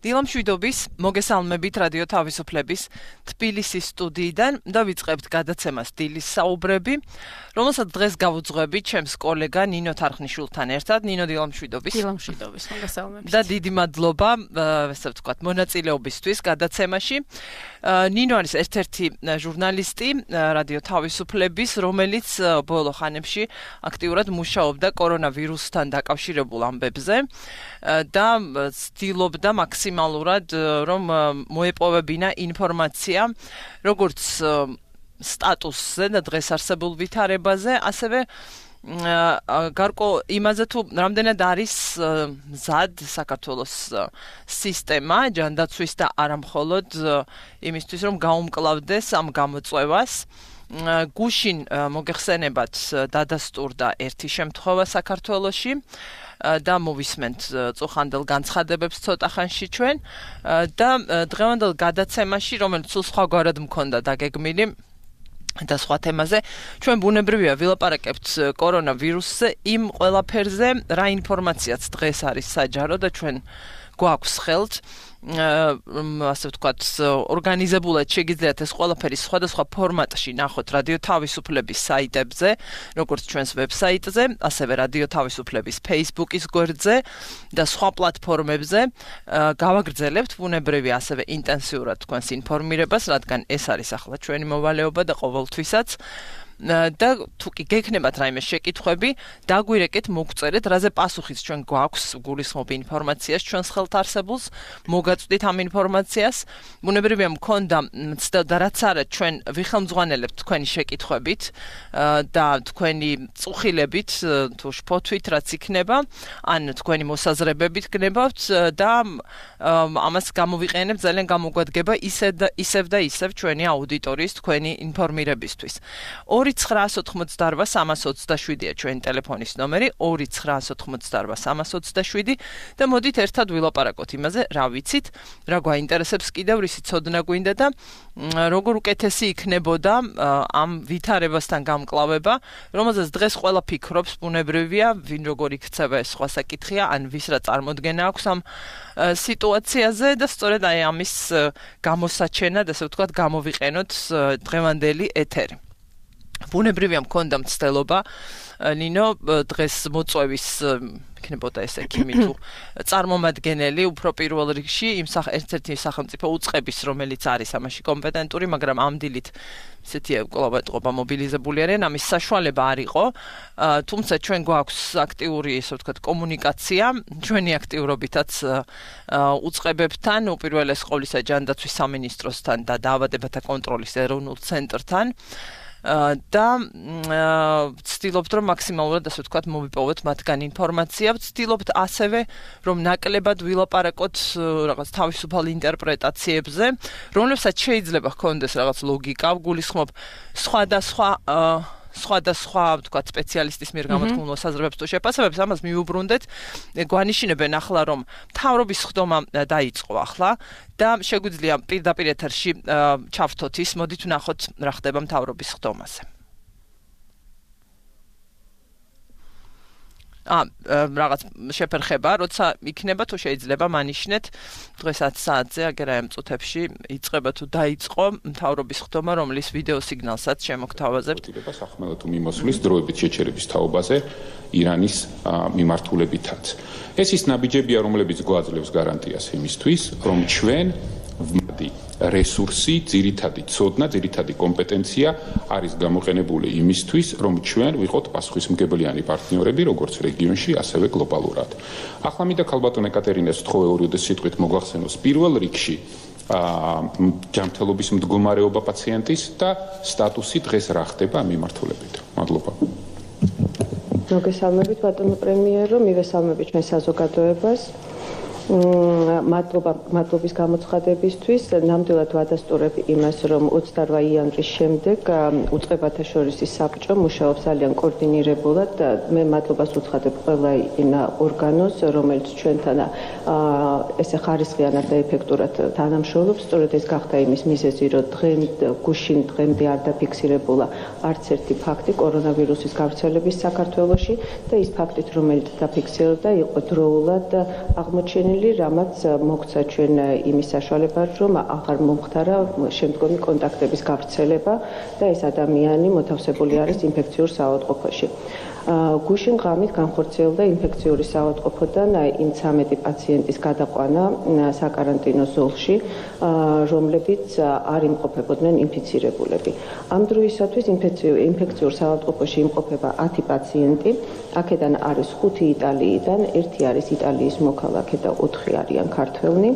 დილამშვიდობის, მოგესალმებით რადიო თავისუფლების თბილისის სტუდიიდან და ვიწყებთ გადაცემას დილის საუბრები, რომელსაც დღეს გავუძღვებით ჩემს კოლეგა ნინო თარხნიშვილთან ერთად. ნინო, დილამშვიდობის. დილამშვიდობის, მოგესალმებით. და დიდი მადლობა, ასე ვთქვათ, მონაწილეობისთვის გადაცემაში. ნინო არის ერთ-ერთი ჟურნალისტი რადიო თავისუფლების, რომელიც ბოლო ხანებში აქტიურად მუშაობდა კორონავირუსთან დაკავშირებულ ამბებზე და ცდილობდა მაქსიმალურად რომ მოეპოვებინა ინფორმაცია როგორც სტატუსზე და დღეს არსებულ ვითარებაზე, ასევე გარკვეულ იმაზე თუ რამდენად არის მზად საქართველოს სისტემა ჯანდაცვის და არა მხოლოდ იმისთვის რომ გაუმკლავდეს ამ გამოწვევას. გუშინ მოგეხსენებათ დადასტურდა ერთი შემთხვევა საქართველოში და მოვისმენთ წუხანდელ განცხადებებს ცოტა ხანში ჩვენ და დღევანდელ გადაცემაში, რომელიც სულ სხვაგვარად მქონდა დაგეგმილი და სხვა თემაზე, ჩვენ ბუნებრივია ვილაპარაკებთ კორონავირუსზე, იმ ყველაფერზე, რა ინფორმაციაც დღეს არის საჯარო და ჩვენ გვაქვს ხელთ ასე ვთქვათ, ორგანიზებულად შეგიძლიათ ეს ყველაფერი სხვადასხვა ფორმატში ნახოთ რადიო თავისუფლების საიტებზე, როგორც ჩვენს ვებსაიტზე, ასევე რადიო თავისუფლების Facebook-ის გვერდზე და სხვა პლატფორმებზე. გავაგრძელებთ ბუნებრივია ასევე ინტენსიურად თქვენს ინფორმირებას, რადგან ეს არის ახლა ჩვენი მოვალეობა და ყოველთვისაც. და თუ კი გექნებათ რაიმე შეკითხვები, დაგვირეკეთ, მოგწერეთ, რაზე პასუხიც ჩვენ გვაქვს, გულისხმობ ინფორმაციას ჩვენს ხელთ არსებულს, მოგაწვდით ამ ინფორმაციას. ბუნებრივია მქონდა და რაც არა ჩვენ ვიხელმძღვანელებთ თქვენი შეკითხვებით და თქვენი წუხილებით, თუ შფოთვით რაც იქნება, ან თქვენი მოსაზრებებით გნებავთ და ამას გამოვიყენებთ ძალიან გამოგვადგება ისევ და ისევ ჩვენი აუდიტორიის თქვენი ინფორმირებისთვის. 2-988-327-ია ჩვენი ტელეფონის ნომერი, 2-988-327 და მოდით ერთად ვილაპარაკოთ იმაზე, რა ვიცით, რა გვაინტერესებს კიდევ, რისი ცოდნა გვინდა და როგორ უკეთესი იქნებოდა ამ ვითარებასთან გამკლავება, რომელზეც დღეს ყველა ფიქრობს, ბუნებრივია, ვინ როგორ იქცევა ეს სხვა საკითხია, ან ვის რა წარმოდგენა აქვს ამ სიტუაციაზე და სწორედ აი ამის გამოსაჩენად, ასე ვთქვათ, გამოვიყენოთ დღევანდელი ეთერი. ბუნებრივია მქონდა მცდელობა ნინო დღეს მოწვევის იქნებოდა ეს ექიმი თუ წარმომადგენელი უფრო პირველ რიგში იმ ერთ-ერთი სახელმწიფო უწყების, რომელიც არის ამაში კომპეტენტური, მაგრამ ამ დილით ისეთი კლავატყობა მობილიზებული არიან, ამის საშუალება არ იყო, თუმცა ჩვენ გვაქვს აქტიური, ესე ვთქვათ, კომუნიკაცია, ჩვენი აქტიურობითაც უწყებებთან, უპირველეს ყოვლისა ჯანდაცვის სამინისტროსთან და დაავადებათა კონტროლის ეროვნულ ცენტრთან. და ვცდილობთ რომ მაქსიმალურად ასე ვთქვათ მოვიპოვოთ მათგან ინფორმაცია, ვცდილობთ ასევე რომ ნაკლებად ვილაპარაკოთ რაღაც თავისუფალ ინტერპრეტაციებზე, რომლებსაც შეიძლება ჰქონდეს რაღაც ლოგიკა, გულისხმობ სხვადასხვა ვთქვათ სპეციალისტის მიერ გამოთქმულ მოსაზრებებს თუ შეფასებებს, ამას მიუბრუნდეთ. გვანიშინებენ ახლა რომ მთავრობის ხდომა დაიწყო ახლა და შეგვიძლია პირდაპირ ეთერში ჩავთოთ ის, მოდით ვნახოთ რა ხდება მთავრობის ხდომაზე. რაღაც შეფერხება, როცა იქნება თუ შეიძლება მანიშნეთ დღეს 10 საათზე აგერ ამ წუთებში იწყება თუ დაიწყო მთავრობის ხდომა, რომლის ვიდეო სიგნალსაც შემოგთავაზებთ. სახმელეთო მიმოსვლის დროებით შეჩერების თაობაზე ირანის მიმართულებითაც. ეს ის ნაბიჯებია, რომლებიც გვაძლევს გარანტიას იმისთვის, რომ ჩვენ რესურსი, ძირითადი ცოდნა, ძირითადი კომპეტენცია არის გამოყენებული იმისთვის, რომ ჩვენ ვიყოთ პასუხისმგებლიანი პარტნიორები, როგორც რეგიონში, ასევე გლობალურად. ახლა მინდა ქალბატონ ეკატერინეს ვთხოვე ორივე სიტყვით მოგახსენოს პირველ რიგში ჯანმრთელობის მდგომარეობა პაციენტის და სტატუსი დღეს რა ხდება ამ მიმართულებით. მადლობა. მოგესალმებით ბატონო პრემიერო, მივესალმებით ჩვენ საზოგადოებას. მადლობის გამოცხადებისთვის. ნამდვილად ვადასტურებ იმას, რომ 28 იანვრის შემდეგ უწყებათა შორის საბჭო მუშაობს ძალიან კოორდინირებულად. მე მადლობას უცხადებ ყველა იმ ორგანოს, რომელიც ჩვენთან ესე ხარისხიანად და ეფექტურად თანამშრომლობს. სწორედ ეს გახდა იმის მიზეზი, რომ გუშინ დღემდე არ დაფიქსირებულა არც ერთი ფაქტი კორონავირუსის გავრცელების საქართველოში და ის ფაქტით, რომელიც დაფიქსირდა, იყო დროულად აღმოჩენილი მიზეზელი, რამაც მოგცა ჩვენ იმის საშუალება, რომ აღარ მომხდარა შემდგომი კონტაქტების გავრცელება და ეს ადამიანი მოთავსებული არის ინფექციურ საავადმყოფოში. გუშინ ღამით განხორციელდა ინფექციური საავადმყოფოდან იმ 13 პაციენტის გადაყვანა საკარანტინო ზოლში, რომლებიც არ იმყოფებოდნენ ინფიცირებულები. ამ დროისათვის ინფექციურ საავადმყოფოში იმყოფება 10 პაციენტი, აქედან არის 5 იტალიიდან, 1 არის იტალიის მოქალაქე და 4 არიან ქართველნი,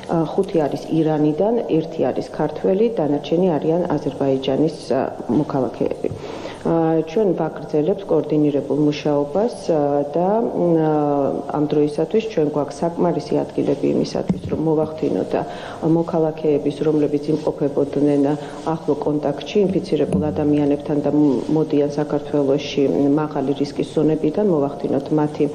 5 არის ირანიდან, 1 არის ქართველი, დანარჩენი არიან აზერბაიჯანის მოქალაქეები. ჩვენ ვაგრძელებთ კოორდინირებულ მუშაობას და ამ დროისათვის ჩვენ გვაქვს საკმარისი ადგილები იმისათვის, რომ მოვახდინოთ მოქალაქეების, რომლებიც იმყოფებოდნენ ახლო კონტაქტში ინფიცირებულ ადამიანებთან და მოდიან საქართველოში მაღალი რისკის ზონებიდან, მოვახდინოთ მათი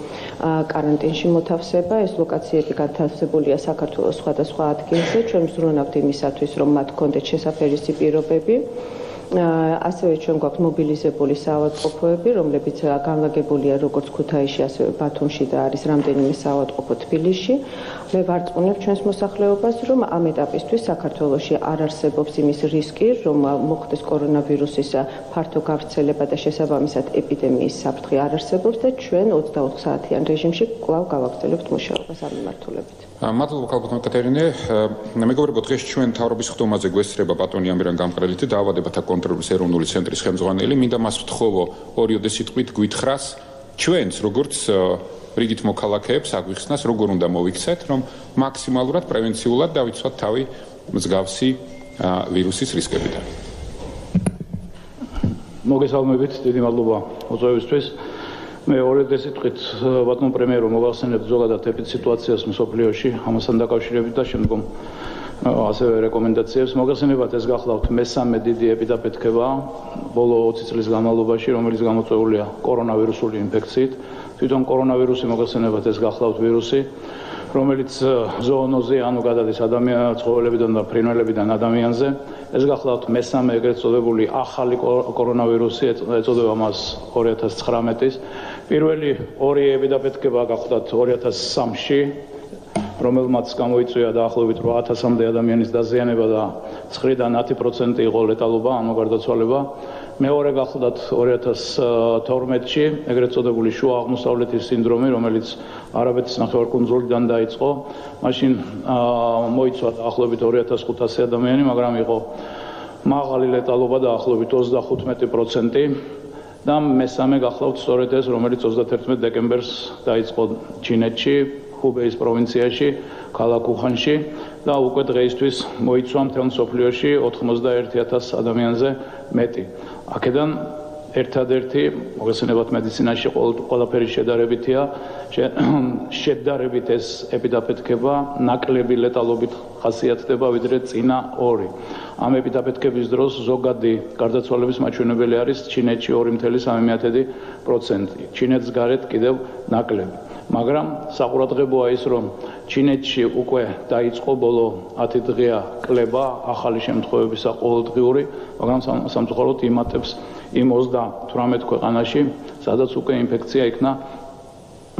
კარანტინში მოთავსება. ეს ლოკაციები განთავსებულია საქართველოს სხვადასხვა ადგილზე. ჩვენ ვზრუნავთ იმისათვის, რომ მათ ჰქონდეთ შესაფერისი პირობები. ასევე ჩვენ გვაქვს მობილიზებული საავადმყოფოები, რომლებიც განლაგებულია როგორც ქუთაისში, ასევე ბათუმში და არის რამდენიმე საავადმყოფო თბილისში. მე ვარწმუნებ ჩვენს მოსახლეობას, რომ ამ ეტაპისთვის საქართველოში არ არსებობს იმის რისკი, რომ მოხდეს კორონავირუსის ფართო გავრცელება და შესაბამისად ეპიდემიის საფრთხე არ არსებობს და ჩვენ 24 საათიან რეჟიმში კვლავ გავაგრძელებთ მუშაობას ამ მიმართულებით. მადლობა ქალბატონო ეკატერინე. მეგობრებო, დღეს ჩვენ მთავრობის ხდომაზე გვესწრება ბატონი ამირან გამყრელითი დაავადებათა კონტროლის ეროვნული ცენტრის ხელმძღვანელი. მინდა მას ვთხოვო ორიოდე სიტყვით გვითხრას ჩვენს როგორც რიგით მოქალაქეებს აგვიხსნას, როგორ უნდა მოვიქცეთ, რომ მაქსიმალურად პრევენციულად დავიცვათ თავი მსგავსი ვირუსის რისკებიდან. მოგესალმებით, დიდი მადლობა მოწვევისთვის. მე ორიოდე სიტყვით ბატონ პრემიერო მოგახსენებთ ზოგადად ეპიდსიტუაციას მსოფლიოში, ამასთან დაკავშირებით და შემდგომ ასევე რეკომენდაციებს. მოგახსენებათ, ეს გახლავთ მესამე დიდი ეპიდაფეთქება ბოლო 20 წლის განმავლობაში, რომელიც გამოწვეულია კორონავირუსული ინფექციით. თვითონ კორონავირუსი მოგახსენებათ, ეს გახლავთ ვირუსი, რომელიც ზოონოზი, ანუ გადადის ცხოველებიდან და ფრინველებიდან ადამიანზე. ეს გახლავთ მესამე ეგრეთ წოდებული ახალი კორონავირუსი, ეწოდება მას 2019-ის. პირველი ორი ეპიდაფეთქება გახლავთ 2003-ში, რომელმაც გამოიწვია დაახლოებით 8000-მდე ადამიანის დაზიანება და 9-დან 10% იყო ლეტალობა, ანუ გარდაცვალება. მეორე გახლავთ 2012-ში, ეგრეთ წოდებული შუა აღმოსავლეთის სინდრომი, რომელიც არაბეთის ნახევარკუნძულიდან დაიწყო. მაშინ მოიცვა დაახლოებით 2500 ადამიანი, მაგრამ იყო მაღალი ლეტალობა დაახლოებით 35%. და მესამე გახლავთ სწორედ ეს, რომელიც 31 დეკემბერს დაიწყო ჩინეთში, ხუბეის პროვინციაში, ქალაქ უხანში და უკვე დღეისთვის მოიცვა მთელ მსოფლიოში 91000 ადამიანზე მეტი. აქედან ერთადერთი მოგესალმებით მედიცინაში ყველაფერი შედარებითია, შედარებით ეს ეპიდაფეთქება ნაკლები ლეტალობით ხასიათდება ვიდრე წინა ორი. ამ ეპიდაფეთქების დროს ზოგადი გარდაცვალების მაჩვენებელი არის ჩინეთში 2.3%. ჩინეთს გარეთ კიდევ ნაკლები. მაგრამ საყურადღებოა ის, რომ ჩინეთში უკვე დაიწყო ბოლო 10 დღეა კლება ახალი შემთხვევებისა ყოველდღიური, მაგრამ სამწუხაროდ იმატებს იმ 38 ქვეყანაში, სადაც უკვე ინფექცია იქნა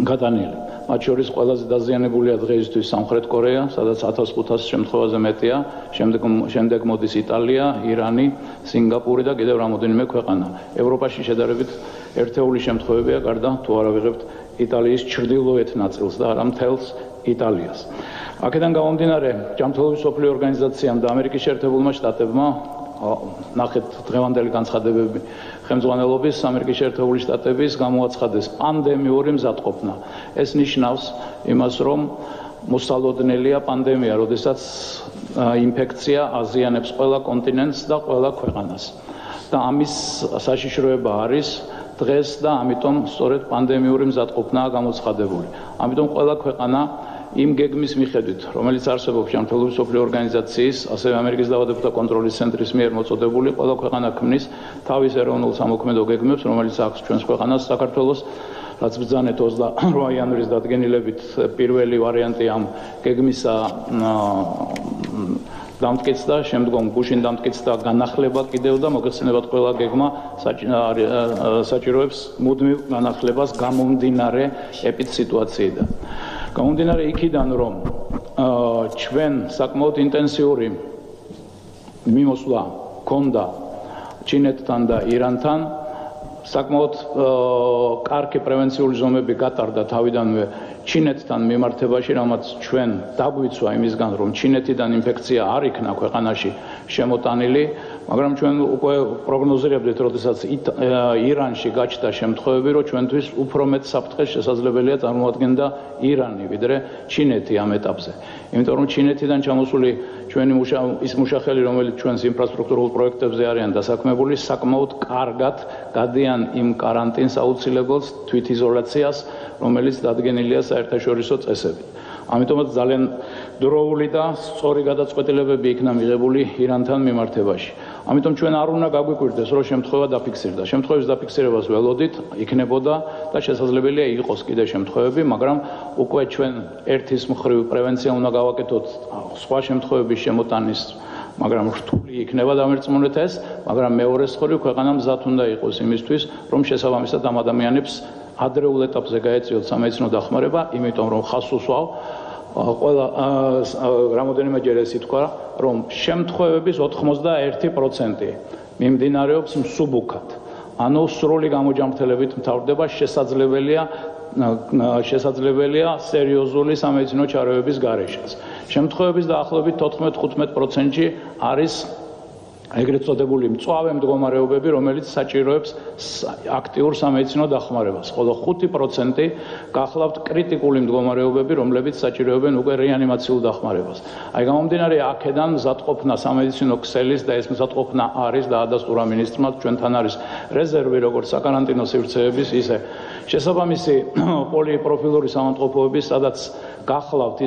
გადანილი. მათ შორის ყველაზე დაზიანებულია დღეისთვის სამხრეთ კორეა, სადაც 1500 შემთხვევაზე მეტია, შემდეგ მოდის იტალია, ირანი, სინგაპური და კიდევ რამოდენიმე ქვეყანა. ევროპაში შედარებით ერთეული შემთხვევებია, გარდა თუ არა ვიღებთ იტალიის ჩრდილოეთ ნაწილს და არა მთელს იტალიას. აქედან გამომდინარე, ჯანმრთელობის მსოფლიო ორგანიზაციამ და ამერიკის შეერთებულმა შტატებმა ნახეთ დღევანდელი განცხადებები ხელმძღვანელობის ამერიკის შეერთებული შტატების გამოაცხადეს პანდემიური მზადყოფნა. ეს ნიშნავს იმას, რომ მოსალოდნელია პანდემია, როდესაც ინფექცია აზიანებს ყველა კონტინენტს და ყველა ქვეყანას. და ამის საშიშროება არის დღეს და ამიტომ სწორედ პანდემიური მზადყოფნაა გამოცხადებული. ამიტომ ყველა ქვეყანა იმ გეგმის მიხედვით, რომელიც არსებობს ჯანმრთელობის მსოფლიო ორგანიზაციის, ასევე ამერიკის დაავადებათა კონტროლის ცენტრის მიერ მოწოდებული, ყველა ქვეყანა ქმნის თავის ეროვნულ სამოქმედო გეგმებს, რომელიც აქვს ჩვენს ქვეყანას საქართველოს, რაც ბრძანეთ 28 იანვრის დადგენილებით პირველი ვარიანტი ამ გეგმისა დამტკიცდა, შემდგომ გუშინ დამტკიცდა განახლება კიდევ და მოგეხსენებათ ყველა გეგმა საჭიროებს მუდმივ განახლებას გამომდინარე ეპიდსიტუაციიდან. გამომდინარე იქიდან, რომ ჩვენ საკმაოდ ინტენსიური მიმოსვლა ჰქონდა ჩინეთთან და ირანთან, საკმაოდ კარგი პრევენციული ზომები გატარდა თავიდანვე ჩინეთთან მიმართებაში, რამაც ჩვენ დაგვიცვა იმისგან, რომ ჩინეთიდან ინფექცია არ იქნა ქვეყანაში შემოტანილი, მაგრამ ჩვენ უკვე პროგნოზირებდით, როდესაც ირანში გაჩნდა შემთხვევები, რომ ჩვენთვის უფრო მეტ საფრთხეს შესაძლებელია წარმოადგენდა ირანი, ვიდრე ჩინეთი ამ ეტაპზე. იმიტომ რომ ჩინეთიდან ჩამოსული ჩვენი ის მუშახელი, რომელიც ჩვენს ინფრასტრუქტურულ პროექტებზე არიან დასაქმებული, საკმაოდ კარგად გადიან იმ კარანტინს აუცილებელს თვითიზოლაციას, რომელიც დადგენილია საერთაშორისო წესებით. ამიტომაც ძალიან დროული და სწორი გადაწყვეტილებები იქნა მიღებული ირანთან მიმართებაში. ამიტომ ჩვენ არ უნდა გაგვიკვირდეს, რომ შემთხვევა დაფიქსირდა. შემთხვევის დაფიქსირებას ველოდით, იქნებოდა და შესაძლებელია იყოს კიდე შემთხვევები, მაგრამ უკვე ჩვენ ერთის მხრივ პრევენცია უნდა გავაკეთოთ სხვა შემთხვევების შემოტანის, მაგრამ რთული იქნება დამერწმუნეთ ეს, მაგრამ მეორეს მხრივ ქვეყანა მზად უნდა იყოს იმისთვის, რომ შესაბამისად ამ ადამიანებს ადრეულ ეტაპზე გაეწიოთ სამედიცინო დახმარება, იმიტომ რომ ხაზს უსვავ ყველა რამოდენიმეჯერ ეს ითქვა, რომ შემთხვევების 81% მიმდინარეობს მსუბუქად. ანუ სრული გამოჯამრთელებით მთავრდება, შესაძლებელია სერიოზული სამედიცინო ჩარევების გარეშეც. შემთხვევების დაახლოებით 14-15%-ში არის ეგრეთ წოდებული მწვავე მდგომარეობები, რომელიც საჭიროებს აქტიურ სამედიცინო დახმარებას, ხოლო 5% გახლავთ კრიტიკული მდგომარეობები, რომლებიც საჭიროებენ უკვე რეანიმაციულ დახმარებას. აი გამომდინარე აქედან მზადყოფნა სამედიცინო ქსელის და ეს მზადყოფნა არის და ადასტურა მინისტრმა, ჩვენთან არის რეზერვი როგორც საკარანტინო სივრცეების, ისე შესაბამისი პოლიპროფილური სამონტყოფოების, სადაც გახლავთ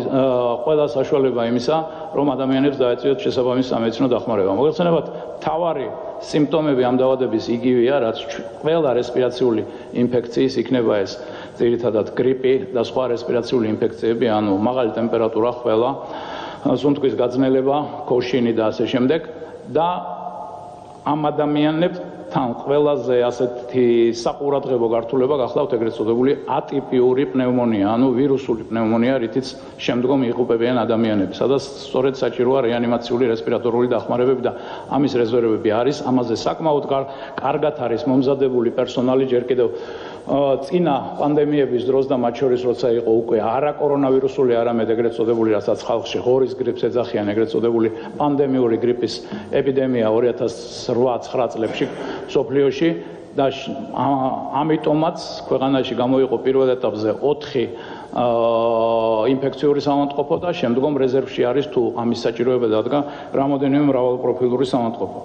ყველა საშუალება იმისა, რომ ადამიანებს დაეწიოთ შესაბამისი სამედიცინო დახმარება. მოგეხსენებათ, მთავარი სიმპტომები ამ დაავადების იგივეა, რაც ყველა რესპირაციული ინფექციის იქნება ეს ძირითადად გრიპი და სხვა რესპირაციული ინფექციები, ანუ მაღალი ტემპერატურა, ხველა, სუნთქვის გაძნელება, ქოშინი და ასე შემდეგ და ამ ადამიანებთან ყველაზე ასეთი საყურადღებო გართულება გახლავთ ეგრეთ წოდებული ატიპიური პნევმონია, ანუ ვირუსული პნევმონია, რითიც შემდგომ იღუპებიან ადამიანები, სადაც სწორედ საჭიროა რეანიმაციული რესპირატორული დახმარებები და ამის რეზერვები არის, ამაზე საკმაოდ კარგად არის მომზადებული პერსონალი, ჯერ კიდევ წინა პანდემიების დროს და მათ შორის როცა იყო უკვე არა კორონავირუსული, არამედ ეგრეთ წოდებული, რასაც ხალხში ღორის გრიპს ეძახიან, ეგრეთ წოდებული პანდემიური გრიპის ეპიდემია 2008-9 წლებში მსოფლიოში და ამიტომაც ქვეყანაში გამოიყო პირველ ეტაპზე 4 ინფექციური სამონტყოფო და შემდგომ რეზერვში არის თუ ამის საჭიროება დადგა რამოდენიმე მრავალპროფილური სამონტყოფო.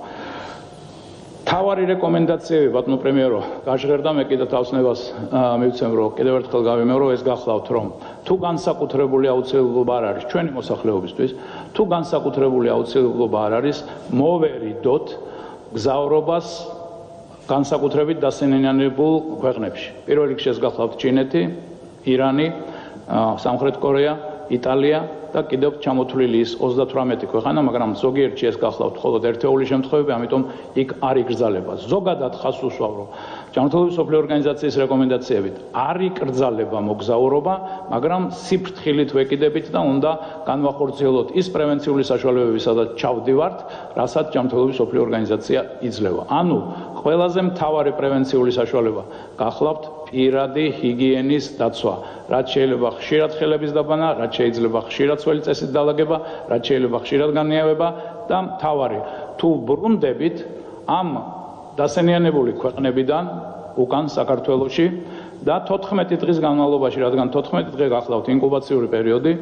თავარი რეკომენდაციები, ბატონო პრემიერო, გაჟღერდა, მე კიდევ თავსნებას მივცემ, რომ კიდევ ერთხელ გავიმეორო, ეს გახლავთ, რომ თუ განსაკუთრებული აუცილებლობა არ არის ჩვენი მოსახლეობისთვის, თუ განსაკუთრებული აუცილებლობა არ არის, მოვერიდოთ გზავრობას განსაკუთრებით დასენიანებულ ქვეყნებში. პირველ რიგში ეს გახლავთ ჩინეთი, ირანი, სამხრეთ კორეა, იტალია და კიდევ ჩამოთვლილი ის 38 ქვეყანა, მაგრამ ზოგიერთში ეს გახლავთ მხოლოდ ერთეული შემთხვევები, ამიტომ იქ არ იკრძალება. ზოგადად ხაზს უსვავ, რომ ჯანმრთელობის მსოფლიო ორგანიზაციის რეკომენდაციებით არ იკრძალება მოგზაურობა, მაგრამ სიფრთხილით ვეკიდებით და უნდა განვახორციელოთ ის პრევენციული საშუალებები, სადაც ჩავდივართ, რასაც ჯანმრთელობის მსოფლიო ორგანიზაცია იძლევა. ანუ ყველაზე მთავარი პრევენციული საშუალება გახლავთ პირადი ჰიგიენის დაცვა, რაც შეიძლება ხშირად ხელების დაბანა, რაც შეიძლება ხშირად სველი წესით დალაგება, რაც შეიძლება ხშირად განიავება და მთავარი, თუ ბრუნდებით ამ დასენიანებული ქვეყნებიდან უკან საქართველოში და 14 დღის განმავლობაში, რადგან 14 დღე გახლავთ ინკუბაციური პერიოდი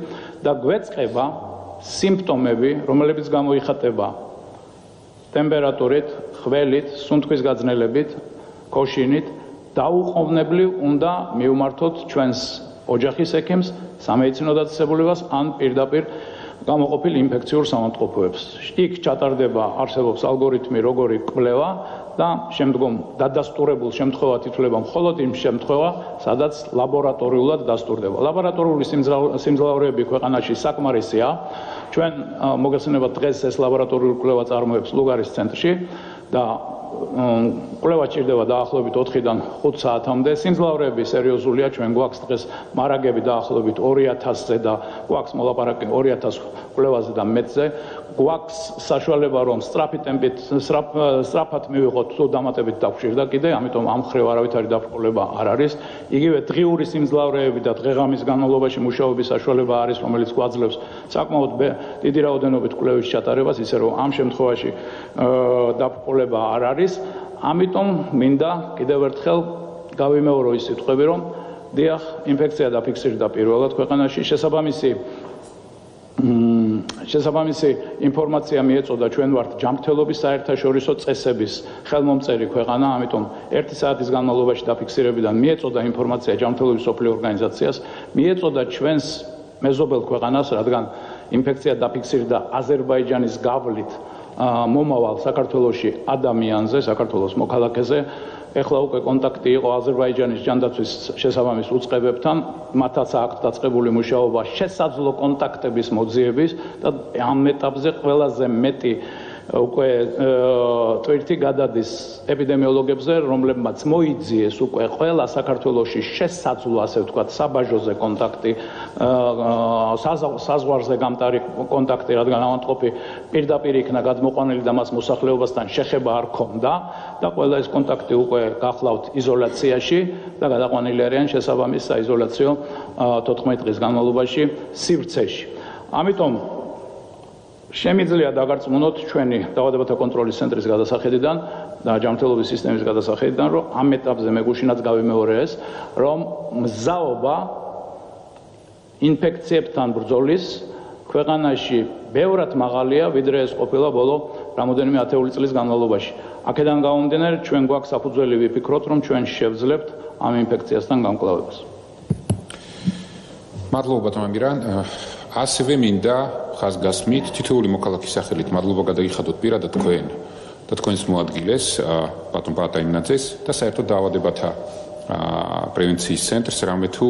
და გვეწყება სიმპტომები, რომლებიც გამოიხატება ტემპერატურით, ხველით, სუნთქვის გაძნელებით, ქოშინით, დაუყოვნებლივ უნდა მივმართოთ ჩვენს ოჯახის ექიმს, სამედიცინო დაწესებულებას ან პირდაპირ გამოყოფილ ინფექციურ სამონტყოფოებს. იქ ჩატარდება, არსებობს ალგორითმი, როგორი კვლევა და შემდგომ დადასტურებულ შემთხვევად ითვლება მხოლოდ იმ შემთხვევა, სადაც ლაბორატორიულად დასტურდება. ლაბორატორიული სიმძლავრეები ქვეყანაში საკმარისია. ჩვენ მოგეხსენებათ დღეს ეს ლაბორატორიული კვლევა წარმოებს ლუგარის ცენტრში და კვლევა ჭირდება დაახლოებით 4-დან 5 საათამდე. სიმძლავრეები სერიოზულია, ჩვენ გვაქვს დღეს მარაგები დაახლოებით 2000-ზე და გვაქვს მოლაპარაკი 2000 კვლევაზე და მეტზე. გვაქვს საშუალება რომ სწრაფი ტემპით, სწრაფად მივიღოთ თუ დამატებით დაგვჭირდა კიდე, ამიტომ ამ ხრივ არავითარი დაბრკოლება არ არის. იგივე დღიური სიმძლავრეები და დღეღამის განმავლობაში მუშაობის საშუალება არის, რომელიც გვაძლევს საკმაოდ დიდი რაოდენობით კვლევის ჩატარებას, ისე რომ ამ შემთხვევაში დაბრკოლება არ არის. ამიტომ მინდა კიდევ ერთხელ გავიმეორო ის სიტყვები, რომ დიახ, ინფექცია დაფიქსირდა პირველად ქვეყანაში, შესაბამისი ინფორმაცია მიეწოდა ჩვენ ვართ ჯანმრთელობის საერთაშორისო წესების ხელმომწერი ქვეყანა, ამიტომ 1 საათის განმავლობაში დაფიქსირებიდან მიეწოდა ინფორმაცია ჯანმრთელობის მსოფლიო ორგანიზაციას, მიეწოდა ჩვენს მეზობელ ქვეყანას, რადგან ინფექცია დაფიქსირდა აზერბაიჯანის გავლით მომავალ საქართველოში ადამიანზე, საქართველოს მოქალაქეზე. ეხლა უკვე კონტაქტი იყო აზერბაიჯანის ჯანდაცვის შესაბამის უწყებებთან, მათაც აქვთ დაწყებული მუშაობა შესაძლო კონტაქტების მოძიების და ამ ეტაპზე ყველაზე მეტი უკვე ტვირთი გადადის ეპიდემიოლოგებზე, რომლებმაც მოიძიეს უკვე ყველა საქართველოში შესაძლო, ასე ვთქვათ, საბაჟოზე კონტაქტი, საზღვარზე გამტარი კონტაქტი, რადგან ავადმყოფი პირდაპირ იქნა გადმოყვანილი და მას მოსახლეობასთან შეხება არ ჰქონდა და ყველა ეს კონტაქტი უკვე გახლავთ იზოლაციაში და გადაყვანილი არიან შესაბამის საიზოლაციო 14 დღის განმავლობაში სივრცეში. ამიტომ შემიძლია დაგარწმუნოთ ჩვენი დაავადებათა კონტროლის ცენტრის გადასახედიდან და ჯანმრთელობის სისტემის გადასახედიდან, რომ ამ ეტაპზე მეგუშინაც გავიმეორე ეს, რომ მზაობა ინფექციებთან ბრძოლის ქვეყანაში ბევრად მაღალია, ვიდრე ეს ყოფილა ბოლო რამოდენიმე ათეული წლის განმავლობაში. აქედან გამომდინარე, ჩვენ გვაქვს საფუძველი ვიფიქროთ, რომ ჩვენ შევძლებთ ამ ინფექციასთან გამკლავებას. მადლობა ბატონ ამირან. ასევე მინდა ხაზგასმით თითოეული მოქალაქის სახელით მადლობა გადაიხადოთ პირადად თქვენ და თქვენს მოადგილეს ბატონ პატაიმნაძეს და საერთოდ დაავადებათა პრევენციის ცენტრს, რამე თუ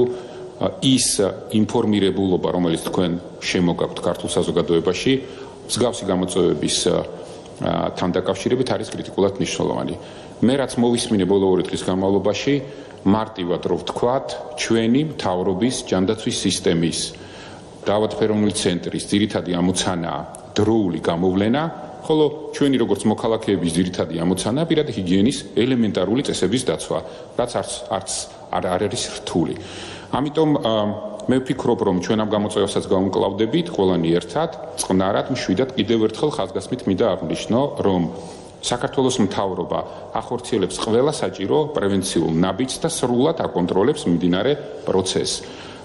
ის ინფორმირებულობა, რომელიც თქვენ შემოგაქვთ ქართულ საზოგადოებაში, მსგავსი გამოწვევების თან დაკავშირებით არის კრიტიკულად მნიშვნელოვანი. მე რაც მოვისმინე ბოლო 2 დღის განმავლობაში, მარტივად რო ვთქვათ, ჩვენი მთავრობის ჯანდაცვის სისტემის დაავადფეროვნული ცენტრის ძირითადი ამოცანაა დროული გამოვლენა, ხოლო ჩვენი როგორც მოქალაქეების ძირითადი ამოცანაა პირადი ჰიგიენის ელემენტარული წესების დაცვა, რაც არ არის რთული. ამიტომ მე ვფიქრობ, რომ ჩვენ ამ გამოწვევასაც გავუმკლავდებით ყველანი ერთად, წყნარად, მშვიდად კიდევ ერთხელ ხაზგასმით მინდა აღვნიშნო, რომ საქართველოს მთავრობა ახორციელებს ყველა საჭირო პრევენციულ ნაბიჯს და სრულად აკონტროლებს მიმდინარე პროცესს.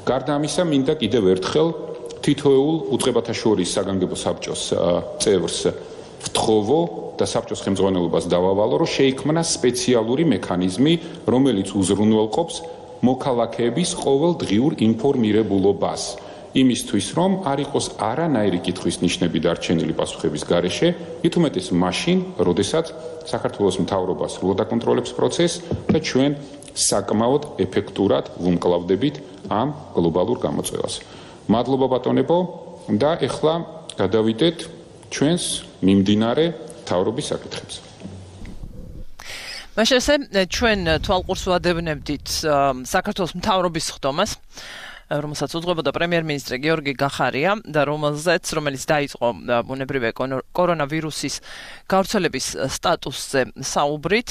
გარდა ამისა, მინდა კიდევ ერთხელ თითოეულ უწყებათა შორის საგანგებო საბჭოს წევრს ვთხოვო და საბჭოს ხელმძღვანელობას დავავალო, რომ შეიქმნა სპეციალური მექანიზმი, რომელიც უზრუნველყოფს მოქალაქეების ყოველდღიურ ინფორმირებულობას, იმისთვის, რომ არ იყოს არანაირი კითხვის ნიშნები დარჩენილი პასუხების გარეშე, მით უმეტეს მაშინ, როდესაც საქართველოს მთავრობა სრულად აკონტროლებს პროცესს და ჩვენ საკმაოდ ეფექტურად ვუმკლავდებით ამ გლობალურ გამოწვევას. მადლობა ბატონებო და ეხლა გადავიდეთ ჩვენს მიმდინარე მთავრობის საკითხებს. მაშასე ჩვენ თვალყურს ვადევნებდით საქართველოს მთავრობის ხდომას, რომელსაც უძღვებოდა პრემიერ-მინისტრი გიორგი გახარია და რომელიც დაიწყო ბუნებრივი კორონავირუსის გავრცელების სტატუსზე საუბრით.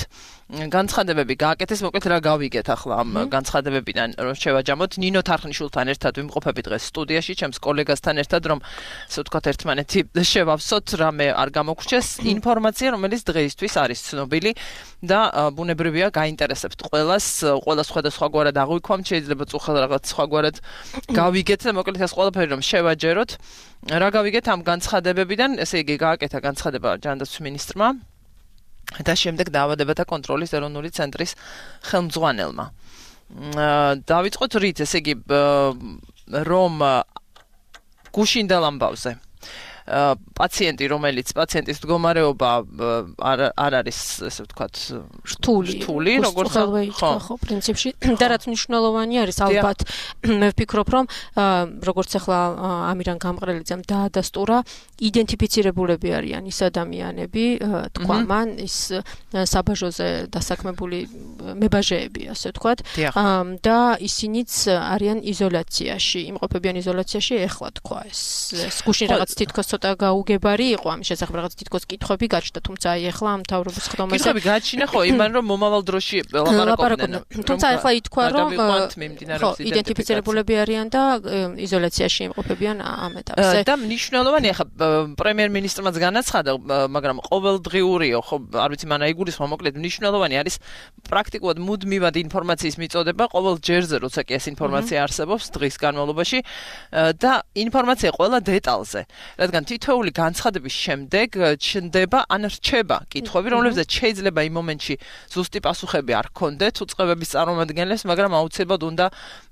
განცხადებები გააკეთეს, მოკლედ რა გავიგეთ ახლა ამ განცხადებებიდან, რომ შევაჯამოთ. ნინო თარხნიშვილთან ერთად ვიმყოფებით დღეს სტუდიაში, ჩემს კოლეგასთან ერთად, რომ ასე ვთქვათ, ერთმანეთი შევავსოთ, რამე არ გამოგვრჩეს ინფორმაცია, რომელიც დღეისთვის არის ცნობილი და ბუნებრივია გაინტერესებთ ყველას სხვადასხვაგვარად აღვიქვამთ, შეიძლება წუხელ რაღაც სხვაგვარად გავიგეთ და მოკლედ ეს ყველაფერი რომ შევაჯეროთ. რა გავიგეთ ამ განცხადებებიდან? ესე იგი გააკეთა განცხადება ჯანდაცვის მინისტრმა და შემდეგ დაავადებათა კონტროლის ეროვნული ცენტრის ხელმძღვანელმა. დავიწყოთ რით, ესე იგი რომ გუშინდელ ამბავზე. პაციენტი, რომელიც პაციენტის მდგომარეობა არ არის, ესე ვთქვათ, რთული, როგორც ხო, პრინციპში და რაც მნიშვნელოვანი არის ალბათ მე ვფიქრობ, რომ როგორც ახლა ამირან გამყრელიძემ დაადასტურა, იდენტიფიცირებულები არიან ის ადამიანები, თქვა მან ის საბაჟოზე დასაქმებული მებაჟეები, ასე ვთქვათ, და ისინიც არიან იზოლაციაში, იმყოფებიან იზოლაციაში, ეხლა თქვა ეს გუშინ რაღაც თითქოს ცოტა გაუგებარი იყო ამის შესახებ, რაღაც თითქოს კითხვები გაჩნდა, თუმცა აი ეხლა მთავრობის ხდომაზე კითხვები გაჩინა ხო, იმან რომ მომავალ დროში ლაპარაკობდნენ. თუმცა ეხლა ითქვა, რომ იდენტიფიცირებულები არიან და იზოლაციაში იმყოფებიან ამ ეტაპზე. და მნიშვნელოვანი ახლა პრემიერ-მინისტრმაც განაცხადა, მაგრამ ყოველდღიურიო, ხო, არ ვიცი, მან აიგულისხმა, მოკლედ მნიშვნელოვანი არის პრაქტიკულად მუდმივად ინფორმაციის მიწოდება ყოველ ჯერზე, როცა კი ეს ინფორმაცია არსებობს დღის განმავლობაში და ინფორმაცია ყველა დეტალზე, რადგან თითოეული განცხადების შემდეგ ჩნდება ან რჩება კითხვები, რომლებზეც შეიძლება იმ მომენტში ზუსტი პასუხები არ ჰქონდეთ უწყებების წარმომადგენლებს, მაგრამ აუცილებლად უნდა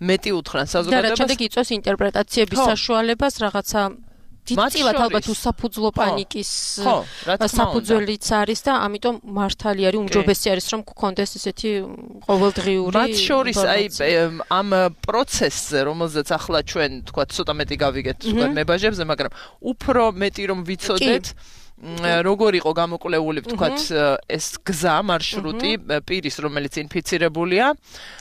მეტი უთხრან საზოგადოებას. და შემდეგ იწვევს ინტერპრეტაციების საშუალებას რაღაცა დიდწილად ალბათ უსაფუძვლო პანიკის საფუძველიც არის და ამიტომ მართალი არის, უმჯობესი არის, რომ გქონდეს ესეთი ყოველდღიური მათ შორის აი ამ პროცესზე, რომელზეც ახლა ჩვენ თქვა ცოტა მეტი გავიგეთ თქვა მებაჟებზე, მაგრამ უფრო მეტი რომ ვიცოდეთ როგორ იყო გამოკვლეული ვთქვათ ეს გზა მარშრუტი პირის რომელიც ინფიცირებულია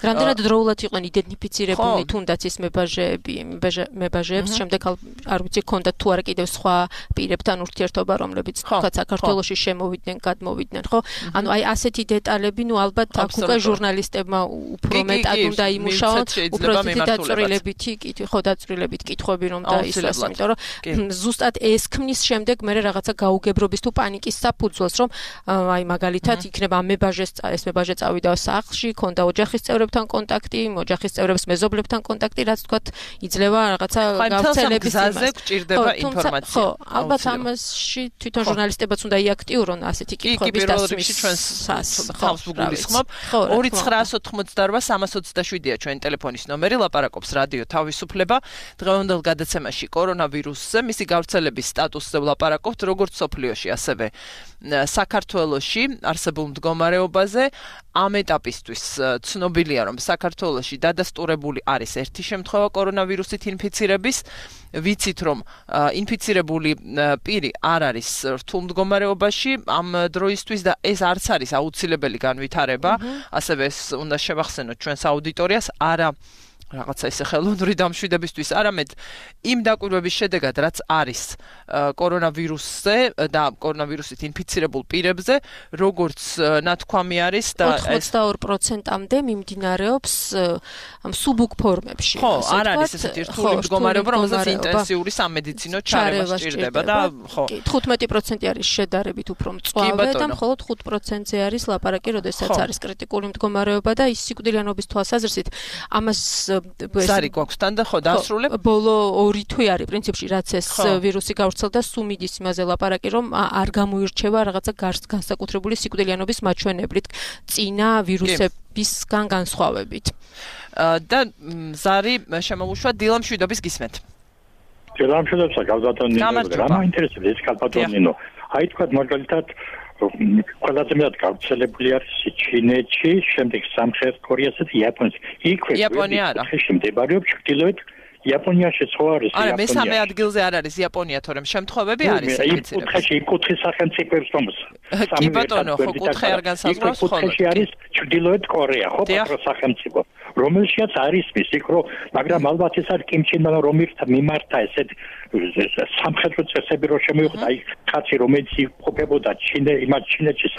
რამდენად დროულად იყვნენ იდენტიფიცირებული თუნდაც ის მებაჟეებს შემდეგ არ ვიცი ქონდა თუ არა კიდევ სხვა პირებთან ურთიერთობა რომლებიც ვთქვათ საქართველოში შემოვიდნენ გადმოვიდნენ ხო ანუ აი ასეთი დეტალები ნუ ალბათ აქ უკვე ჟურნალისტებმა უფრო მეტად უნდა იმუშაონ უფრო დაწვრილებითი კითხვები რომ დაისვას იმიტომ რომ ზუსტად ეს ქმნის შემდეგ მე რაღაცა გაუგებრობის თუ პანიკის საფუძველს რომ აი მაგალითად იქნება ეს მებაჟე წავიდა სახლში ქონდა ოჯახის წევრებთან კონტაქტი ოჯახის წევრებს მეზობლებთან კონტაქტი რაც თქვათ იძლევა რაღაცა გავრცელების გზაზე გჭირდება ინფორმაცია ხო ალბათ ამაში თვითონ ჟურნალისტებაც უნდა იაქტიურონ ასეთი კითხვების დასმის ხავს ვგულისხმობ 2988-327-ია ჩვენ ტელეფონის ნომერი ლაპარაკობს რადიო თავისუფლება დღევანდელ გადაცემაში კორონავირუსზე მისი გავრცელების სტატუსზე ვლაპარაკობთ როგორც სოფლიოში ასევე საქართველოში არსებულ მდგომარეობაზე ამ ეტაპისთვის ცნობილია რომ საქართველოში დადასტურებული არის ერთი შემთხვევა კორონავირუსით ინფიცირების ვიცით რომ ინფიცირებული პირი არ არის რთულ მდგომარეობაში ამ დროისთვის და ეს არც არის აუცილებელი განვითარება ასევე ეს უნდა შევახსენოთ ჩვენს აუდიტორიას არა რაღაცა ისე ხელოვნური დამშვიდებისთვის არამედ იმ დაკვირვების შედეგად რაც არის კორონავირუსზე და კორონავირუსით ინფიცირებულ პირებზე როგორც ნათქვამი არის და 82%-მდე მიმდინარეობს სუბუქ ფორმებში ხო არ არის ესეთი რთული მდგომარეობა რომელსაც ინტენსიური სამედიცინო ჩარევა სჭირდება და ხო 15% არის შედარებით უფრო მწვავე და მხოლოდ 5%-ზე არის ლაპარაკი როდესაც არის კრიტიკული მდგომარეობა და ის სიკვდილიანობის თვალსაზრისით ამას ზარი გვაქვს თან და ხო დაასრულებ ბოლო 2 თვე არის პრინციპში რაც ეს ვირუსი გავრცელდა სუმიდის იმაზე ლაპარაკი რომ არ გამოირჩევა რაღაცა განსაკუთრებული სიკვდილიანობის მაჩვენებლით წინა ვირუსებისგან განსხვავებით და ზარი შემოუშვა დილამშვიდობის გისმენთ დილამშვიდობსა გავზატონინო რა მაინტერესებს ეს კალპატონინო აი თქვა მაგალითად ყველაზე მეტად გავრცელებული არის ჩინეთში, შემდეგ სამხრეთ კორეასა და იაპონიაში. იქვე იაპონია არა. მდებარეობს ჩრდილოეთ იაპონიაში ხო არის იაპონია. არა, მესამე ადგილზე არ არის იაპონია, თორემ შემთხვევები არის ინფიცირების. იმ კუთხეში სახელმწიფოებს თომს. კი ბატონო, ხო კუთხე არ განსაზღვრავს ხოლმე. კუთხეში არის ჩრდილოეთ კორეა, ხო პატრო სახელმწიფო. რომელშიც არის ის იქ მაგრამ ალბათ ეს არის კიმჩინმა რომ მიმართა ესეთ სამხედრო წესები რომ შემოიხვდა აი კაცი რომელიც იყოფებოდა ჩინეთში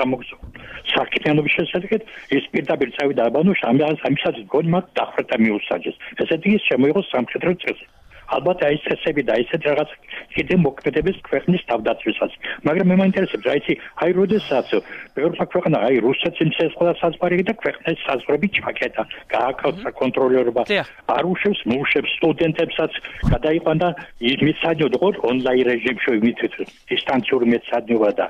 საქმიანობის შესაძლებლად ის პირდაპირ წავიდა აბანოში ამისაც გონი მათ დახრტა მიუსაჯეს ესეთი ის შემოიღო სამხედრო წესი ალბათ აი წესები და ისეთ რაღაც კიდე მოქმედების ქვეყნის თავდაცვისას მაგრამ მე მაინტერესებს რა იცი აი როდესაც ბევრმა ქვეყანა აი რუსეთს იმცეს ყველა საზღვარი და ქვეყნის საზღვრები ჩაკეტა გააკეთა საკონტროლერობა არ უშვებს მოუშვებს სტუდენტებსაც გადაიყვანა მისაჯოთ ონლაინ რეჟიმში მითით დისტანციური მეცადინება და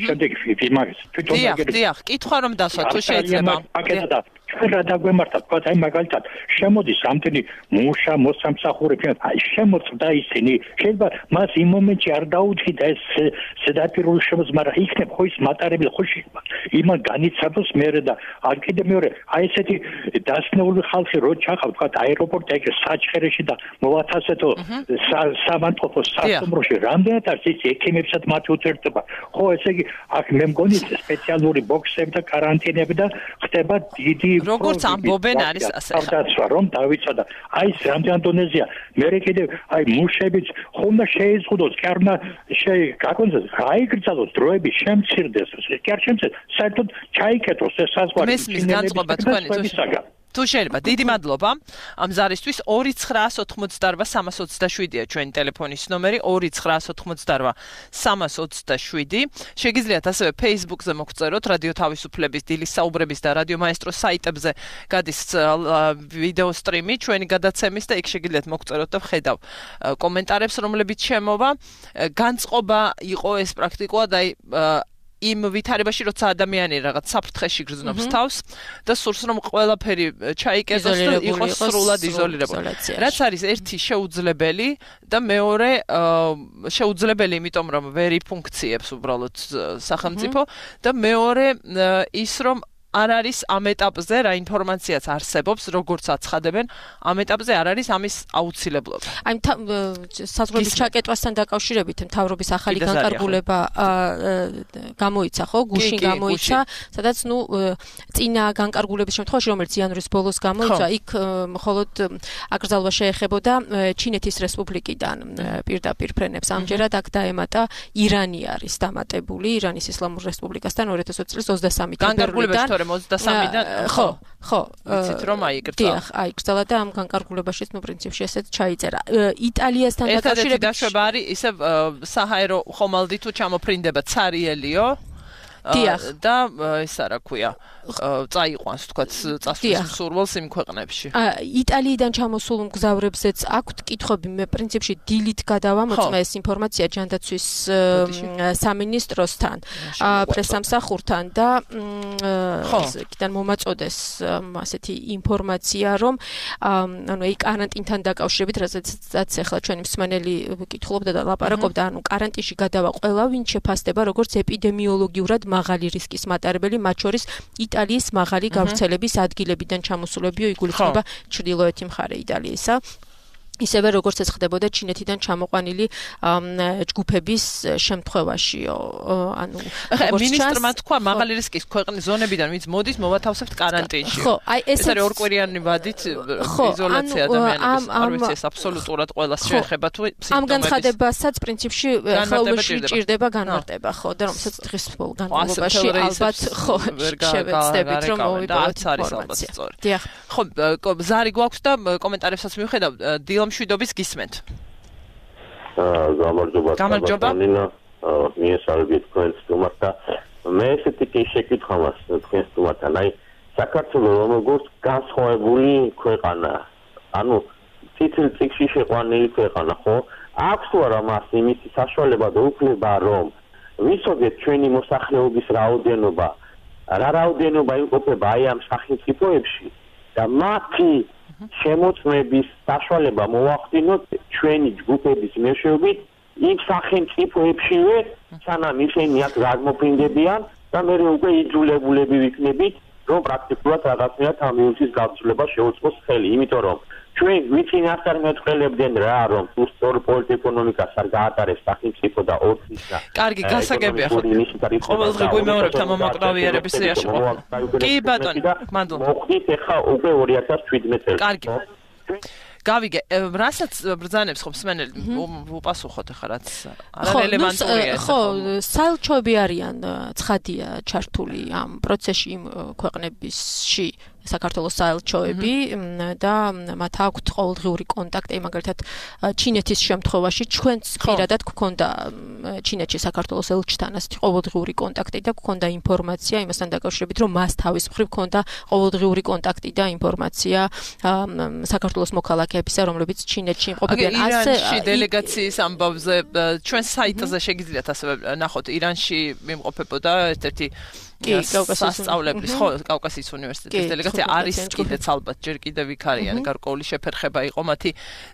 შემდეგ იმას თვითონ დიახ კითხვა რომ დასვა თუ შეიძლება ჩვენ რა დაგვემართა თქვა აი მაგალითად შემოდის რამდენი მუშა მოსამსახურე აი შემოწდა ისინი შეიძლება მას იმ მომენტში არ დაუდგინდა ეს ზედაპირული შემოწმა მაგრამ იქნებ ხო ის მატარებელი ხო იმან განიცადოს მერე და არ კიდე მეორე აი ესეთი დასნეული ხალხი რო ჩახავ თქვა აეროპორტი ეგ საჩხერეში და მოვათასეთო სამანტყოფო სასტუმროში რამდენად არის ის ექიმებსაც მათი უთერთობა ხო ესე იგი აქ მე მგონი სპეციალური ბოქსები და каранტინები და ხდება დიდი როგორც ამბობენ არის ასე ხა რომ დავიცადა აი ეს რამდენ დონეზია მე კიდე აი მუშებიც ხომ შეიზღუდოს კი არ უნდა გაკონდეს გაიგრძელოს დროები შემცირდეს კი არ შემცირდეს საერთოდ ჩაიკეტოს ეს საზღვარი მესმის განწყობა თქვენი თუ შეიძლება დიდი მადლობა ამ ზარისთვის 2988327-ია ჩვენი ტელეფონის ნომერი 2988327 შეგიძლიათ ასევე Facebook-ზე მოგწეროთ რადიო თავისუფლების დილის საუბრების და რადიო მაესტროს საიტებზე გადის ვიდეო სტრიმი ჩვენი გადაცემის და იქ შეგიძლიათ მოგწეროთ და ვხედავ კომენტარებს რომლებიც შემოვა განწყობა იყო ეს პრაქტიკულად აი იმ ვითარებაში როცა ადამიანი რაღაც საფრთხეში გრძნობს თავს და სურს რომ ყველაფერი ჩაიკეტოს და იყოს სრულად იზოლირებული. რაც არის ერთი შეუძლებელი და მეორე შეუძლებელი იმიტომ რომ ვერ იფუნქციებს უბრალოდ სახელმწიფო და მეორე ის რომ არ არის ამ ეტაპზე რა ინფორმაციაც არსებობს როგორც აცხადებენ ამ ეტაპზე არ არის ამის აუცილებლობა. აი საზღვრების ჩაკეტვასთან დაკავშირებით მთავრობის ახალი განკარგულება გამოიცა ხო გუშინ გამოიცა სადაც ნუ წინა განკარგულების შემთხვევაში რომელიც იანვრის ბოლოს გამოიცა იქ მხოლოდ აკრძალვა შეეხებოდა ჩინეთის რესპუბლიკიდან პირდაპირ ფრენებს ამჯერად აქ დაემატა ირანი არის დამატებული ირანის ისლამურ რესპუბლიკასთან 2020 წლის 23 თებერვლიდან 23-დან ხო ვიცით რომ აიკრძალა დიახ აიკრძალა და ამ განკარგულებაშიც ნუ პრინციპში ესეც ჩაიწერა იტალიასთან დაკავშირებით დაშვება არის ისე საჰაერო ხომალდი თუ ჩამოფრინდება ცარიელიო და ეს რა ქვია წაიყვანს თქვათ წასვლის სურვილს იმ ქვეყნებში. იტალიიდან ჩამოსულ მგზავრებზეც აქვთ კითხვები მე პრინციპში დილით გადავამოწმე ეს ინფორმაცია ჯანდაცვის სამინისტროსთან პრესამსახურთან და იქიდან მომაწოდეს ასეთი ინფორმაცია რომ ანუ აი каранტინთან დაკავშირებით რასაც ახლა ჩვენი მსმენელი კითხულობდა და ლაპარაკობდა ანუ каранტინში გადავა ყველა ვინ შეფასდება როგორც ეპიდემიოლოგიურად მაღალი რისკის მატარებელი მათ შორის იტალიის მაღალი გავრცელების ადგილებიდან ჩამოსულებიო იგულისხმება ჩრდილოეთი მხარე იტალიისა ისევე როგორც ეს ხდებოდა ჩინეთიდან ჩამოყვანილი ჯგუფების შემთხვევაშიო ანუ მინისტრმა თქვა მაღალი რისკის ქვეყნის ზონებიდან ვინც მოდის მოვათავსებთ каранტინში ხო აი ეს არის ორკვირიანი ვადით იზოლაცია ადამიანების არ ვიცი ეს აბსოლუტურად ყველას შეეხება თუ ამ განცხადებასაც პრინციპში ხელში ჭირდება განმარტება ხო და რომელსაც დღის განმავლობაში ალბათ ხო შევეცდებით რომ მოვიპოვოთ ინფორმაცია დიახ ხო ზარი გვაქვს და კომენტარებსაც მივხედავ დილ მშვიდობის გისმენთ. გამარჯობა. მიესალმებით თქვენ სტუმართა. მე ესეთი კი შეკითხვა მაქვს თქვენ სტუმართან. აი საქართველოს როგორც განსხვავებული ქვეყანა, ანუ ციცილ წიგში შეყვანილი ქვეყანა, ხო? აქვს თუ არა მას იმის საშუალება და უფლება რომ ვიცოდეთ ჩვენი მოსახლეობის რაოდენობა, რა რაოდენობა იმყოფება აი ამ სახელმწიფოებში და მათი შემოწმების საშუალება მოვახდინოთ ჩვენი ჯგუფების მეშვეობით იმ სახელმწიფოებშივე სანამ ისინი აქ გადმოფრინდებიან და მე უკვე იძულებულები ვიქნებით რომ პრაქტიკულად რაღაცნაირად ამ ვირუსის გავრცელება შეუწყოს ხელი იმიტომ რომ ჩვენ ვიცით არ მეტყველებდნენ რა რომ თუ სწორ პოლიტ-ეკონომიკას არ გაატარებს სახელმწიფო და ორცის და კარგი გასაგებია ხო ყოველდღე გვიმეორებთ ამ მოკრავიერების სიაში კი ბატონო მადლობა მოხდით ახლა უკვე 2017 წელს კარგი გავიგე რასაც ბრძანებს ხო მსმენელი უპასუხოთ ახლა რაც არარელევანტურია ხო საელჩოები არიან ცხადია ჩართული ამ პროცესში იმ ქვეყნებში საქართველოს საელჩოები და მათ აქვთ ყოველდღიური კონტაქტი მაგალითად ჩინეთის შემთხვევაში ჩვენც პირადად გქონდა ჩინეთში საქართველოს ელჩთან ასეთი ყოველდღიური კონტაქტი და გქონდა ინფორმაცია იმასთან დაკავშირებით რომ მას თავის მხრივ გქონდა ყოველდღიური კონტაქტი და ინფორმაცია საქართველოს მოქალაქეებისა რომლებიც ჩინეთში იმყოფებიან ასე დელეგაციის ამბავზე ჩვენ საიტზე შეგიძლიათ ასევე ნახოთ ირანში იმყოფებოდა ერთ-ერთი სასწავლებლის ხო კავკასიის უნივერსიტეტის დელეგაცია არის კიდეც ალბათ ჯერ კიდევ იქ არიან გარკვეული შეფერხება იყო მათი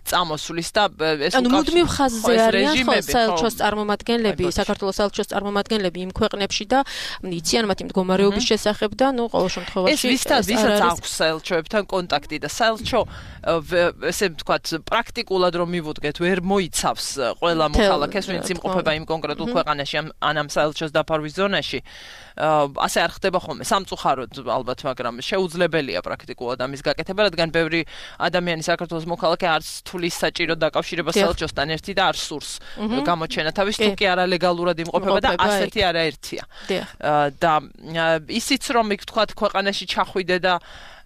წამოსვლის და ეს უკავშირდება მუდმივ ხაზზე არიან ხო საელჩოს წარმომადგენლები საქართველოს საელჩოს წარმომადგენლები იმ ქვეყნებში და იციან მათი მდგომარეობის შესახებ და ნუ ყოველ შემთხვევაში ვისაც აქვს საელჩოებთან კონტაქტი და საელჩო ესე ვთქვათ პრაქტიკულად რომ მივუდგეთ ვერ მოიცავს ყველა მოქალაქეს ვინც იმყოფება იმ კონკრეტულ ქვეყანაში ან ამ საელჩოს დაფარვის ზონაში ასე არ ხდება ხოლმე სამწუხაროდ ალბათ მაგრამ შეუძლებელია პრაქტიკულად ამის გაკეთება რადგან ბევრი ადამიანი საქართველოს მოქალაქე არც თulis საჭირო დაკავშირება საელჩოსთან ერთი და არ სურს გამოჩენა თავის თუ კი არალეგალურად იმყოფება და ასეთი არაერთია და ისიც რომ იქ თქვათ ქვეყანაში ჩახვიდე და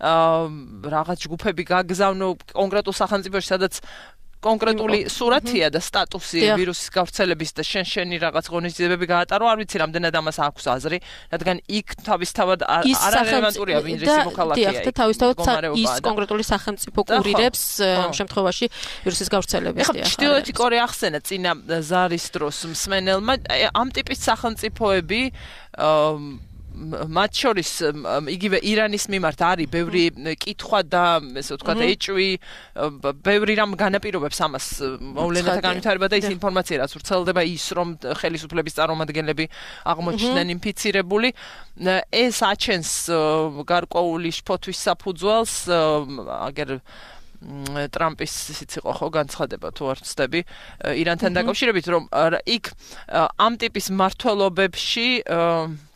რაღაც ჯგუფები გაგზავნო კონკრეტულ სახელმწიფოში სადაც კონკრეტული სურათია და სტატუსი ვირუსის გავრცელების და შენი რაღაც ღონისძიებები გაატარო არ ვიცი რამდენად ამას აქვს აზრი რადგან იქ თავისთავად არარელევანტურია ვინ ის მოქალაქეა და თავისთავად ის კონკრეტული სახელმწიფო კურირებს ამ შემთხვევაში ვირუსის გავრცელებას ჩრდილოეთი კორეა ახსენა წინა ზარის დროს მსმენელმა ამ ტიპის სახელმწიფოები მათ შორის იგივე ირანის მიმართ არის ბევრი კითხვა და ესე ვთქვათ ეჭვი ბევრი რამ განაპირობებს ამას მოვლენათა განვითარება და ის ინფორმაცია რაც ვრცელდება ის რომ ხელისუფლების წარმომადგენლები აღმოჩნდნენ ინფიცირებული ეს აჩენს გარკვეული შფოთვის საფუძველს აგერ ტრამპის ისიც იყო ხო განცხადება თუ არ ვცდები ირანთან დაკავშირებით რომ იქ ამ ტიპის მმართველობებში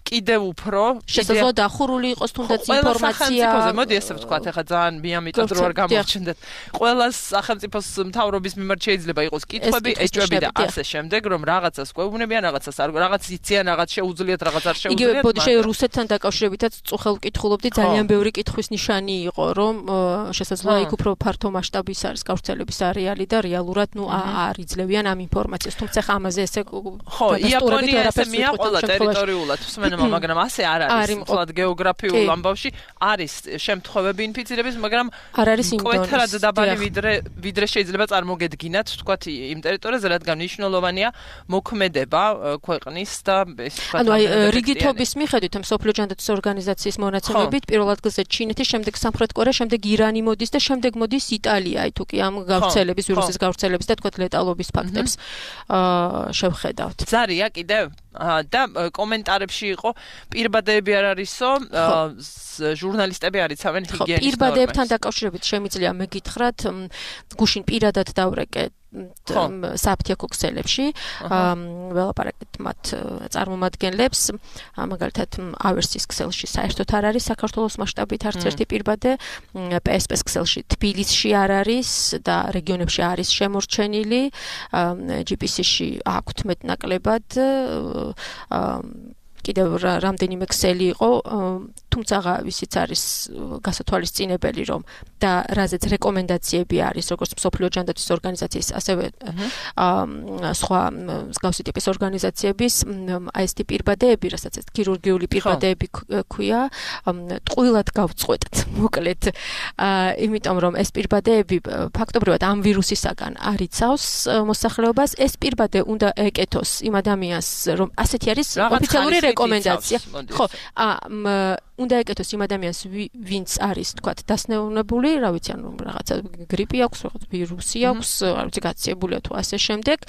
კიდევ უფრო შესაძლოა დახურული იყოს თუნდაც ინფორმაცია მოდი ესე ვთქვათ ახლა ძალიან მიამიტად რო არ გამოჩნდეთ ყველა სახელმწიფოს მთავრობის მიმართ შეიძლება იყოს კითხვები ეჭვები და ასე შემდეგ რომ რაღაცას გვეუბნებიან რაღაცას არ რაღაც იციან რაღაც შეუძლიათ რაღაც არ შეუძლიათ იგივე ბოდიშე რუსეთთან დაკავშირებითაც წუხელ ვკითხულობდი ძალიან ბევრი კითხვის ნიშანი იყო რომ შესაძლოა იქ უფრო ფართო მასშტაბის არის გავრცელების არეალი და რეალურად ნუ არ იძლევიან ამ ინფორმაციას თუმცა ამაზე ესე ხო იაპონია ესე მიაყოლა ტერიტორიულად მაგრამ ასე არ არის თვალად გეოგრაფიულ ამბავში არის შემთხვევები ინფიცირების მაგრამ არ არის მკვეთრად დაბალი ვიდრე შეიძლება წარმოგედგინათ თქვათ იმ ტერიტორიაზე რადგან მნიშვნელოვანია მოქმედება ქვეყნის და ეს თქვათ ანუ აი რიგითობის მიხედვით მსოფლიო ჯანდაცვის ორგანიზაციის მონაცემებით პირველ ადგილზე ჩინეთი შემდეგ სამხრეთ კორეა შემდეგ ირანი მოდის და შემდეგ მოდის იტალია აი თუ კი ამ გავრცელების ვირუსის გავრცელების და თქვათ ლეტალობის ფაქტებს შევხედავთ ზარია კიდევ და კომენტარებში იყო პირბადეები არ არისო ჟურნალისტები არიცავენ ჰიგიენის ნორმებს პირბადეებთან დაკავშირებით შემიძლია მეკითხრათ გუშინ პირადად დავრეკე საფთიაქო ქსელებში ველაპარაკეთ მათ წარმომადგენლებს მაგალითად ავერსის ქსელში საერთოდ არ არის საქართველოს მასშტაბით არც ერთი პირბადე PSP-ს ქსელში თბილისში არ არის და რეგიონებში არის შემორჩენილი GPS-ში აქვთ მეტნაკლებად კიდევ რამდენიმე ქსელი იყო თუმცა ვისიც არის გასათვალისწინებელი რომ და რაზეც რეკომენდაციები არის როგორც მსოფლიო ჯანდაცვის ორგანიზაციის ასევე სხვა მსგავსი ტიპის ორგანიზაციების აი ეს ტიპი პირბადეები რასაც ეს ქირურგიული პირბადეები ქვია ტყუილად გავწყვეტთ მოკლედ იმიტომ რომ ეს პირბადეები ფაქტობრივად ამ ვირუსისაგან არ იცავს მოსახლეობას ეს პირბადე უნდა ეკეთოს იმ ადამიანს რომ ასეთი არის ოფიციალური რეკომენდაცია ხო უნდა ეკეთოს იმ ადამიანს ვინც არის თქვათ დასნეულებული რა ვიცი ანუ რაღაცა გრიპი აქვს რაღაც ვირუსი აქვს არ ვიცი გაციებულია თუ ასე შემდეგ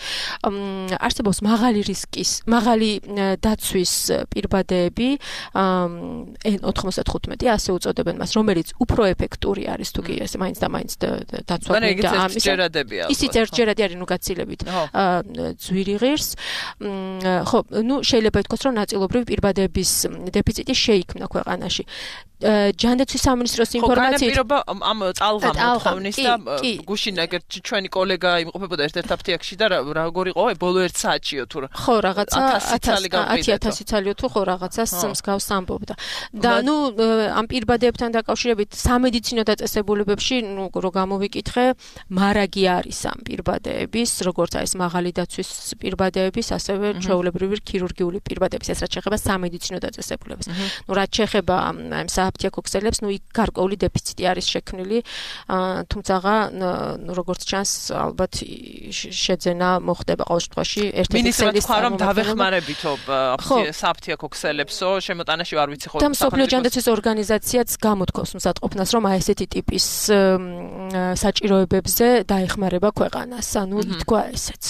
არსებობს მაღალი რისკის მაღალი დაცვის პირბადეები N95 ასე უწოდებენ მას რომელიც უფრო ეფექტური არის თუ კი ესე მაინც და მაინც დაცვა და ამის ისიც ერთჯერადი არის ნუ გაცილებით ძვირი ღირს ხო ნუ შეიძლება ითქვას რომ ნაწილობრივ პირბადეების დეფიციტი შეიქმნა ქვეყანაში ჯანდაცვის სამინისტროს ინფორმაციით ამ წალღამოთხოვნის და გუშინ ეგ ჩვენი კოლეგა იმყოფებოდა ერთ-ერთ აფთიაქში და როგორ იყო ბოლო 1 საათშიო თუ ხო რაღაცა 10,000 წალიო თუ ხო რაღაცას მსგავს ამბობდა და ნუ ამ პირბადეებთან დაკავშირებით სამედიცინო დაწესებულებებში ნუ რო გამოვიკითხე მარაგი არის ამ პირბადეების როგორც აი ეს მაღალი დაცვის პირბადეების ასევე ჩვეულებრივი ქირურგიული პირბადეების ეს რაც შეეხება სამედიცინო დაწესებულებას ნუ რაც შეეხება ამ აფთიაქო ქსელებს, იქ გარკვეული დეფიციტი არის შექმნილი, თუმცა როგორც ჩანს, ალბათ შეძენა მოხდება ყოველ შემთხვევაში ერთ-ერთი ქსელის რომ დავეხმარებითო საფთიაქო ქსელებსო, შემოტანაში არ ვიცი ხო. და მსოფლიო ჯანდაცვის ორგანიზაციაც გამოთქვამს მსატყოფნას, რომ ესეთი ტიპის საჭიროებებზე დაეხმარება ქვეყანას, ითქვა ესეც.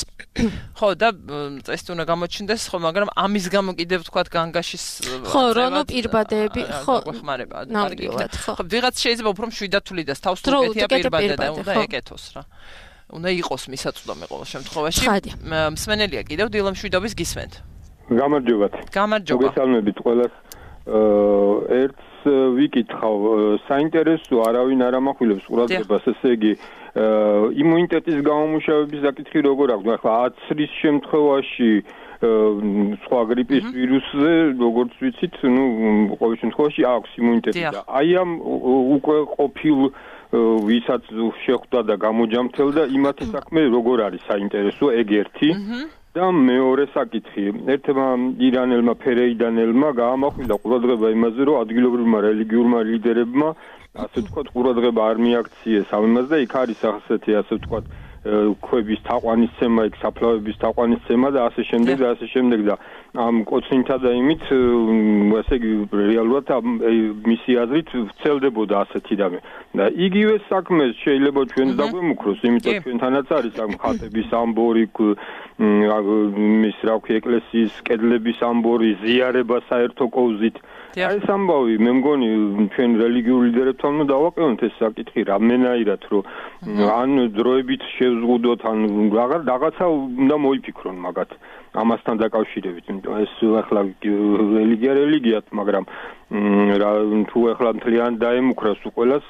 ხო, და წესი უნდა გამოჩნდეს, ხო, მაგრამ ამის გამო კიდევ თქვათ განგაშის ხო, რომ პირბადეები, ხო, გვეხმარება. ხო, ვიღაც შეიძლება უფრო მშვიდად თulidas თავს თუ ეკეთია პირბადე და უნდა ეკეთოს რა. უნდა იყოს მისაწვდომი ყოველ შემთხვევაში. მსმენელია კიდევ დილამშვიდობის გისმენთ. გამარჯობათ. გამარჯობა. მოგესალმებით ყველას. ერთს ვიკითხავ, საინტერესო არავინ არ ამახვილებს ყურადღებას, ესე იგი იმუნიტეტის გამომუშავების საკითხი როგორ აქვს? ახლა აცრის შემთხვევაში სხვა გრიპის ვირუსზე, როგორც ვიცით, ყოველ შემთხვევაში აქვს იმუნიტეტი და აი ამ უკვე ყოფილ ვისაც შეხვდა და გამოჯამთელდა, იმათი საქმე როგორ არის საინტერესო, ეგ ერთი. და მეორე საკითხი, ერთმა ირანელმა ფერეიდანელმა გაამახვილა ყურადღება იმაზე, რომ ადგილობრივმა რელიგიურმა ლიდერებმა, ასე ვთქვათ, ყურადღება არ მიაქციეს ამ იმას და იქ არის ასეთი, ასე ვთქვათ, ქვების თაყვანისცემა, იქ საფლავების თაყვანისცემა და ასე შემდეგ და ასე შემდეგ და ამ კოცნითა და იმით, ასე იგი რეალურად მისი აზრით ვრცელდებოდა ასეთი რამე. და იგივე საქმეს შეიძლება ჩვენც დაგვემუქროს, იმიტომ ჩვენთანაც არის ამ ხატების ამბორი, მის რა ვქი ეკლესიის კედლების ამბორი, ზიარება საერთო კოვზით. აი ეს ამბავი, მე მგონი ჩვენ რელიგიურ ლიდერებთან უნდა დავაყენოთ ეს საკითხი რამენაირად, რომ ან დროებით შევზღუდოთ, ან რაღაცა უნდა მოიფიქრონ მაგათ ამასთან დაკავშირებით, იმიტომ ეს ახლა რელიგიათ, მაგრამ თუ ახლა მთლიან დაემუქრას უყველას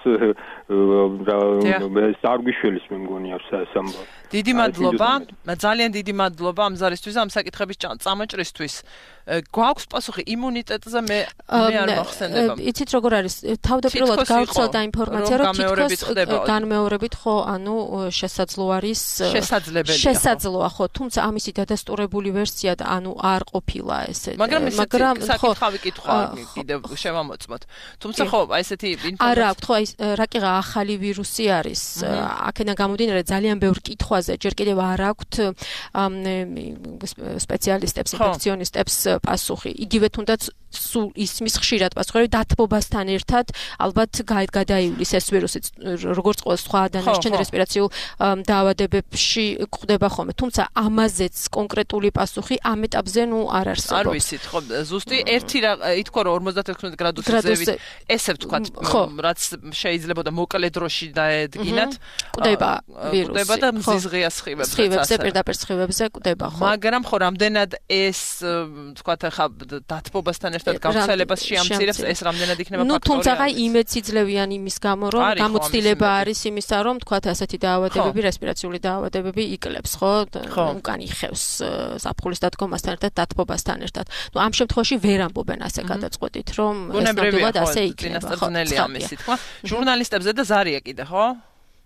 ეს არ გვიშველის მე მგონი ეს ამბავი. დიდი მადლობა, ძალიან დიდი მადლობა ამ ზარისთვის, ამ საკითხების წამოჭრისთვის. გვაქვს პასუხი იმუნიტეტზე მე არ მოხსენდება. იცით როგორ არის? თავდაპირველად გავრცელდა ინფორმაცია, რომ თითქოს განმეორებით ხო, შესაძლო არის შესაძლოა ხო, თუმცა ამისი დადასტურებული ვერსია და არ ყოფილა ესეთი. მაგრამ საკითხავი კითხვა კიდევ შევამოწმოთ. თუმცა ხო, აი ესეთი ინფორმაცია არა აქვს, ხო, აი რაკიღა ახალი ვირუსი არის. აქედან გამომდინარე ძალიან ბევრ კითხვაზე ჯერ კიდევ არ აქვს სპეციალისტებს, ინფექციონისტებს პასუხი. იგივე თუნდაც სულ ისმის ხშირად პასუხი დათბობასთან ერთად ალბათ გადაივლის ეს ვირუსი, როგორც ყოველ სხვა დანარჩენ რესპირაციულ დაავადებებში გვხვდება ხოლმე. თუმცა ამაზეც კონკრეტული პასუხი ამ ეტაპზე არ არსებობს. არ ვიცით, ხო, ზუსტი ერთი ითქვა რომ 56 გრადუსის ზევით, ესე ვთქვათ, რაც შეიძლება და მოკლე დროში დაედგინათ, კვდება ვირუსი. კვდება და მზიზღია სხივებზე. სხივებზე, პირდაპირ სხივებზე კვდება, ხო. მაგრამ ხო, რამდენად ეს ვთქვათ, ახლა დათბობასთან ერთად გავრცელებას შეამცირებს, ეს რამდენად იქნება ფაქტორი? თუმცა იმეც იძლევიან იმის გამო, რომ გამოცდილება არის იმისა, რომ ვთქვათ, ასეთი დაავადებები, რესპირაციული დაავადებები იკლებს, ხო? უკან იხევს ზაფხულის დადგომასთან ერთად, დათბობასთან ერთად. ამ შემთხვევაში ვერ ამბობენ ასე გადაწყვეტით, რომ ეს ნამდვილად ასე იქნება, ხო? ამისი თქვა. ჟურნალისტებზე და ზარია კიდე, ხო?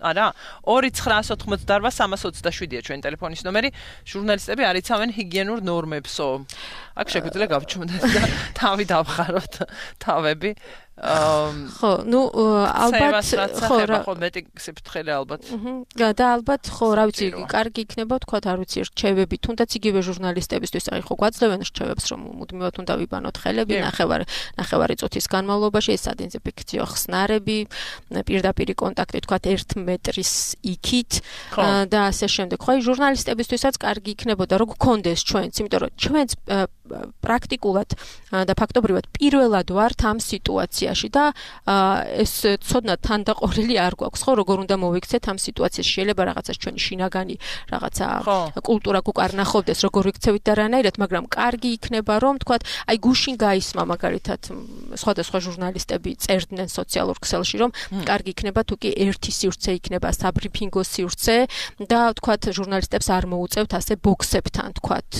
არა 2988-327-ია ჩვენი ტელეფონის ნომერი. ჟურნალისტები არ იცავენ ჰიგიენურ ნორმებსო. აქ შეგვიძლია გავჩვენოთ და თავი დავხაროთ თავები. ხო, ალბათ ხო მეტი სიფრთხილე ალბათ. და ალბათ ხო, რა ვიცი, კარგი იქნება თქვათ, არ ვიცი, რჩევები, თუნდაც იგივე ჟურნალისტებისთვის, აი ხო გვაძლევენ რჩევებს, რომ მუდმივად უნდა ვიბანოთ ხელები, ნახევარი წუთის განმავლობაში, ეს სადინზინფექციო ხსნარები, პირდაპირი კონტაქტი თქვათ 1 მეტრის იქით და ასე შემდეგ. ხო, აი ჟურნალისტებისთვისაც კარგი იქნებოდა, რომ გქონდეს ჩვენც, იმიტომ რომ ჩვენც პრაქტიკულად და ფაქტობრივად პირველად ვართ ამ სიტუაციაში და ეს ცოდნა თანდაყოლილი არ გვაქვს, ხო, როგორ უნდა მოვიქცეთ ამ სიტუაციაში. შეიძლება რაღაცა ჩვენი შინაგანი რაღაცა კულტურა გვკარნახობდეს, როგორ ვიქცევით და რანაირად, მაგრამ კარგი იქნება, რომ თქვათ, აი გუშინ გაისმა მაგალითად სხვადასხვა ჟურნალისტები წერდნენ სოციალურ ქსელში, რომ კარგი იქნება თუ კი ერთი სივრცე იქნება საბრიფინგო სივრცე და თქვათ ჟურნალისტებს არ მოუწევთ ასე ბოქსებთან, თქვათ,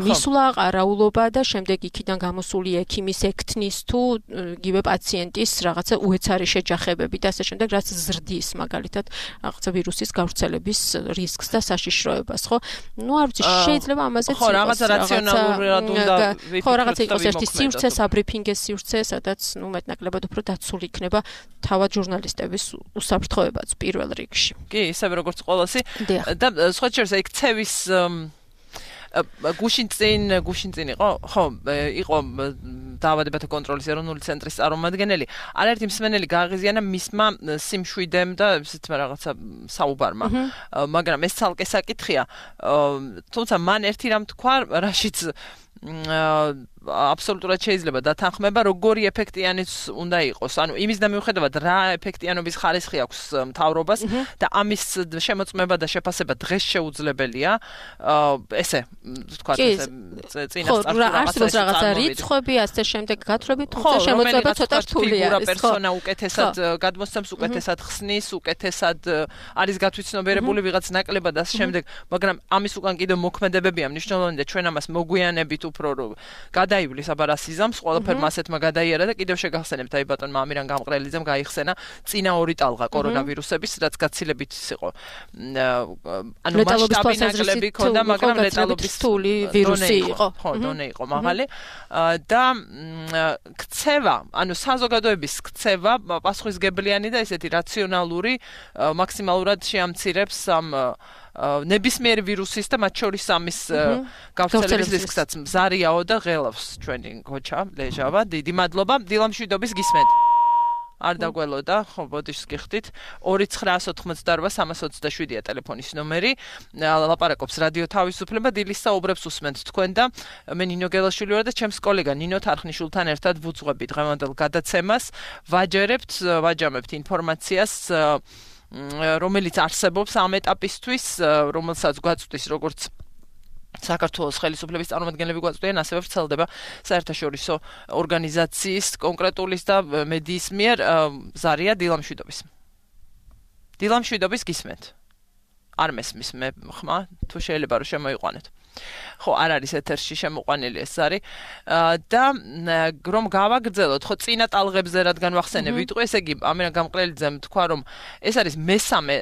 მისვლა, ყარაულობა და შემდეგ იქიდან გამოსული ექიმის ექთნის თუ იგივე პაციენტის რაღაცა უეცარი შეჯახებები და ასე შემდეგ, რაც ზრდის მაგალითად რაღაცა ვირუსის გავრცელების რისკს და საშიშროებას, ხო? ნუ არ ვიცი, შეიძლება ამაზეც ხო, რაღაცა რაციონალურად უნდა ხო, რაღაცა იყოს ერთი სივრცე, საბრიფინგის სივრცე, სადაც ნუ მეტნაკლებად უფრო დაცული იქნება თავად ჟურნალისტების უსაფრთხოებაც პირველ რიგში. კი, ისევე როგორც ყოველასი და სხვა შორის იქ ცევის გუშინ წინ იყო, ხო, იყო დაავადებათა კონტროლის ეროვნული ცენტრის წარმომადგენელი. არაერთი მსმენელი გააღიზიანა მისმა სიმშვიდემ და ისეთ რაღაცა საუბარმა. მაგრამ ეს ცალკე საკითხია. თუმცა მან ერთი რამ თქვა, რაშიც აბსოლუტურად შეიძლება დათანხმება, როგორი ეფექტიანიც უნდა იყოს. ანუ იმის და მიუხედავად რა ეფექტიანობის ხარისხი აქვს მთავრობას და ამის შემოწმება და შეფასება დღეს შეუძლებელია. ესე, თქვა ესე რაღაცა რიცხვები, ასე შემდეგ გათხრები, თუმცა შემოწმება ცოტა რთულია. ფიგურა პერსონა უკეთესად გადმოსცემს, უკეთესად ხსნის, უკეთესად არის გათვითცნობიერებული ვიღაც ნაკლებად და ასე შემდეგ, მაგრამ ამის უკან კიდევ მოქმედებებია მნიშვნელოვანი და ჩვენ ამას მოგვიანებით უფრო გადაივლის აბა სიზამს ყველაფერმა ასეთმა გადაიარა და კიდევ შეგახსენებთ აი ბატონმა ამირან გამყრელიძემ გაიხსენა წინა ორი ტალღა კორონავირუსების რაც გაცილებით იყო ანუ მასშტაბი ნაკლები ქონდა მაგრამ ლეტალობის რთული ვირუსი იყო ხო დონე იყო მაღალი და ქცევა ანუ საზოგადოების ქცევა პასუხისგებლიანი და ესეთი რაციონალური მაქსიმალურად შეამცირებს ამ ნებისმიერ ვირუსის და მათ შორის ამის გავრცელების რისკსაც მზარიაო და ღელავს ჩვენი გოჩა ლეჟავა დიდი მადლობა დილამშვიდობის გისმენთ არ დაგველოდა ხო ბოდიშს გიხდით 2988-327-ია ტელეფონის ნომერი ლაპარაკობს რადიო თავისუფლება დილის საუბრებს უსმენთ თქვენ და მე ნინო გელაშვილი ვარ და ჩემს კოლეგა ნინო თარხნიშვილთან ერთად ვუძღვებით დღევანდელ გადაცემას ვაჯამებთ ინფორმაციას რომელიც არსებობს ამ ეტაპისთვის, რომელსაც გვაწვდის როგორც საქართველოს ხელისუფლების წარმომადგენლები გვაწვდიან, ასევე ვრცელდება საერთაშორისო ორგანიზაციის კონკრეტულის და მედიის მიერ ზარია დილამშვიდობის. დილამშვიდობის გისმენთ. არ მესმის მე ხმა, თუ შეიძლება რომ შემოიყვანეთ. ხო, არ არის ეთერში შემოყვანილი ეს არის და რომ გავაგრძელოთ, ხო, წინა ტალღებზე რადგან ვახსენე ვიტყვი, ესე იგი, ამირან გამყრელიძემ თქვა, რომ ეს არის მესამე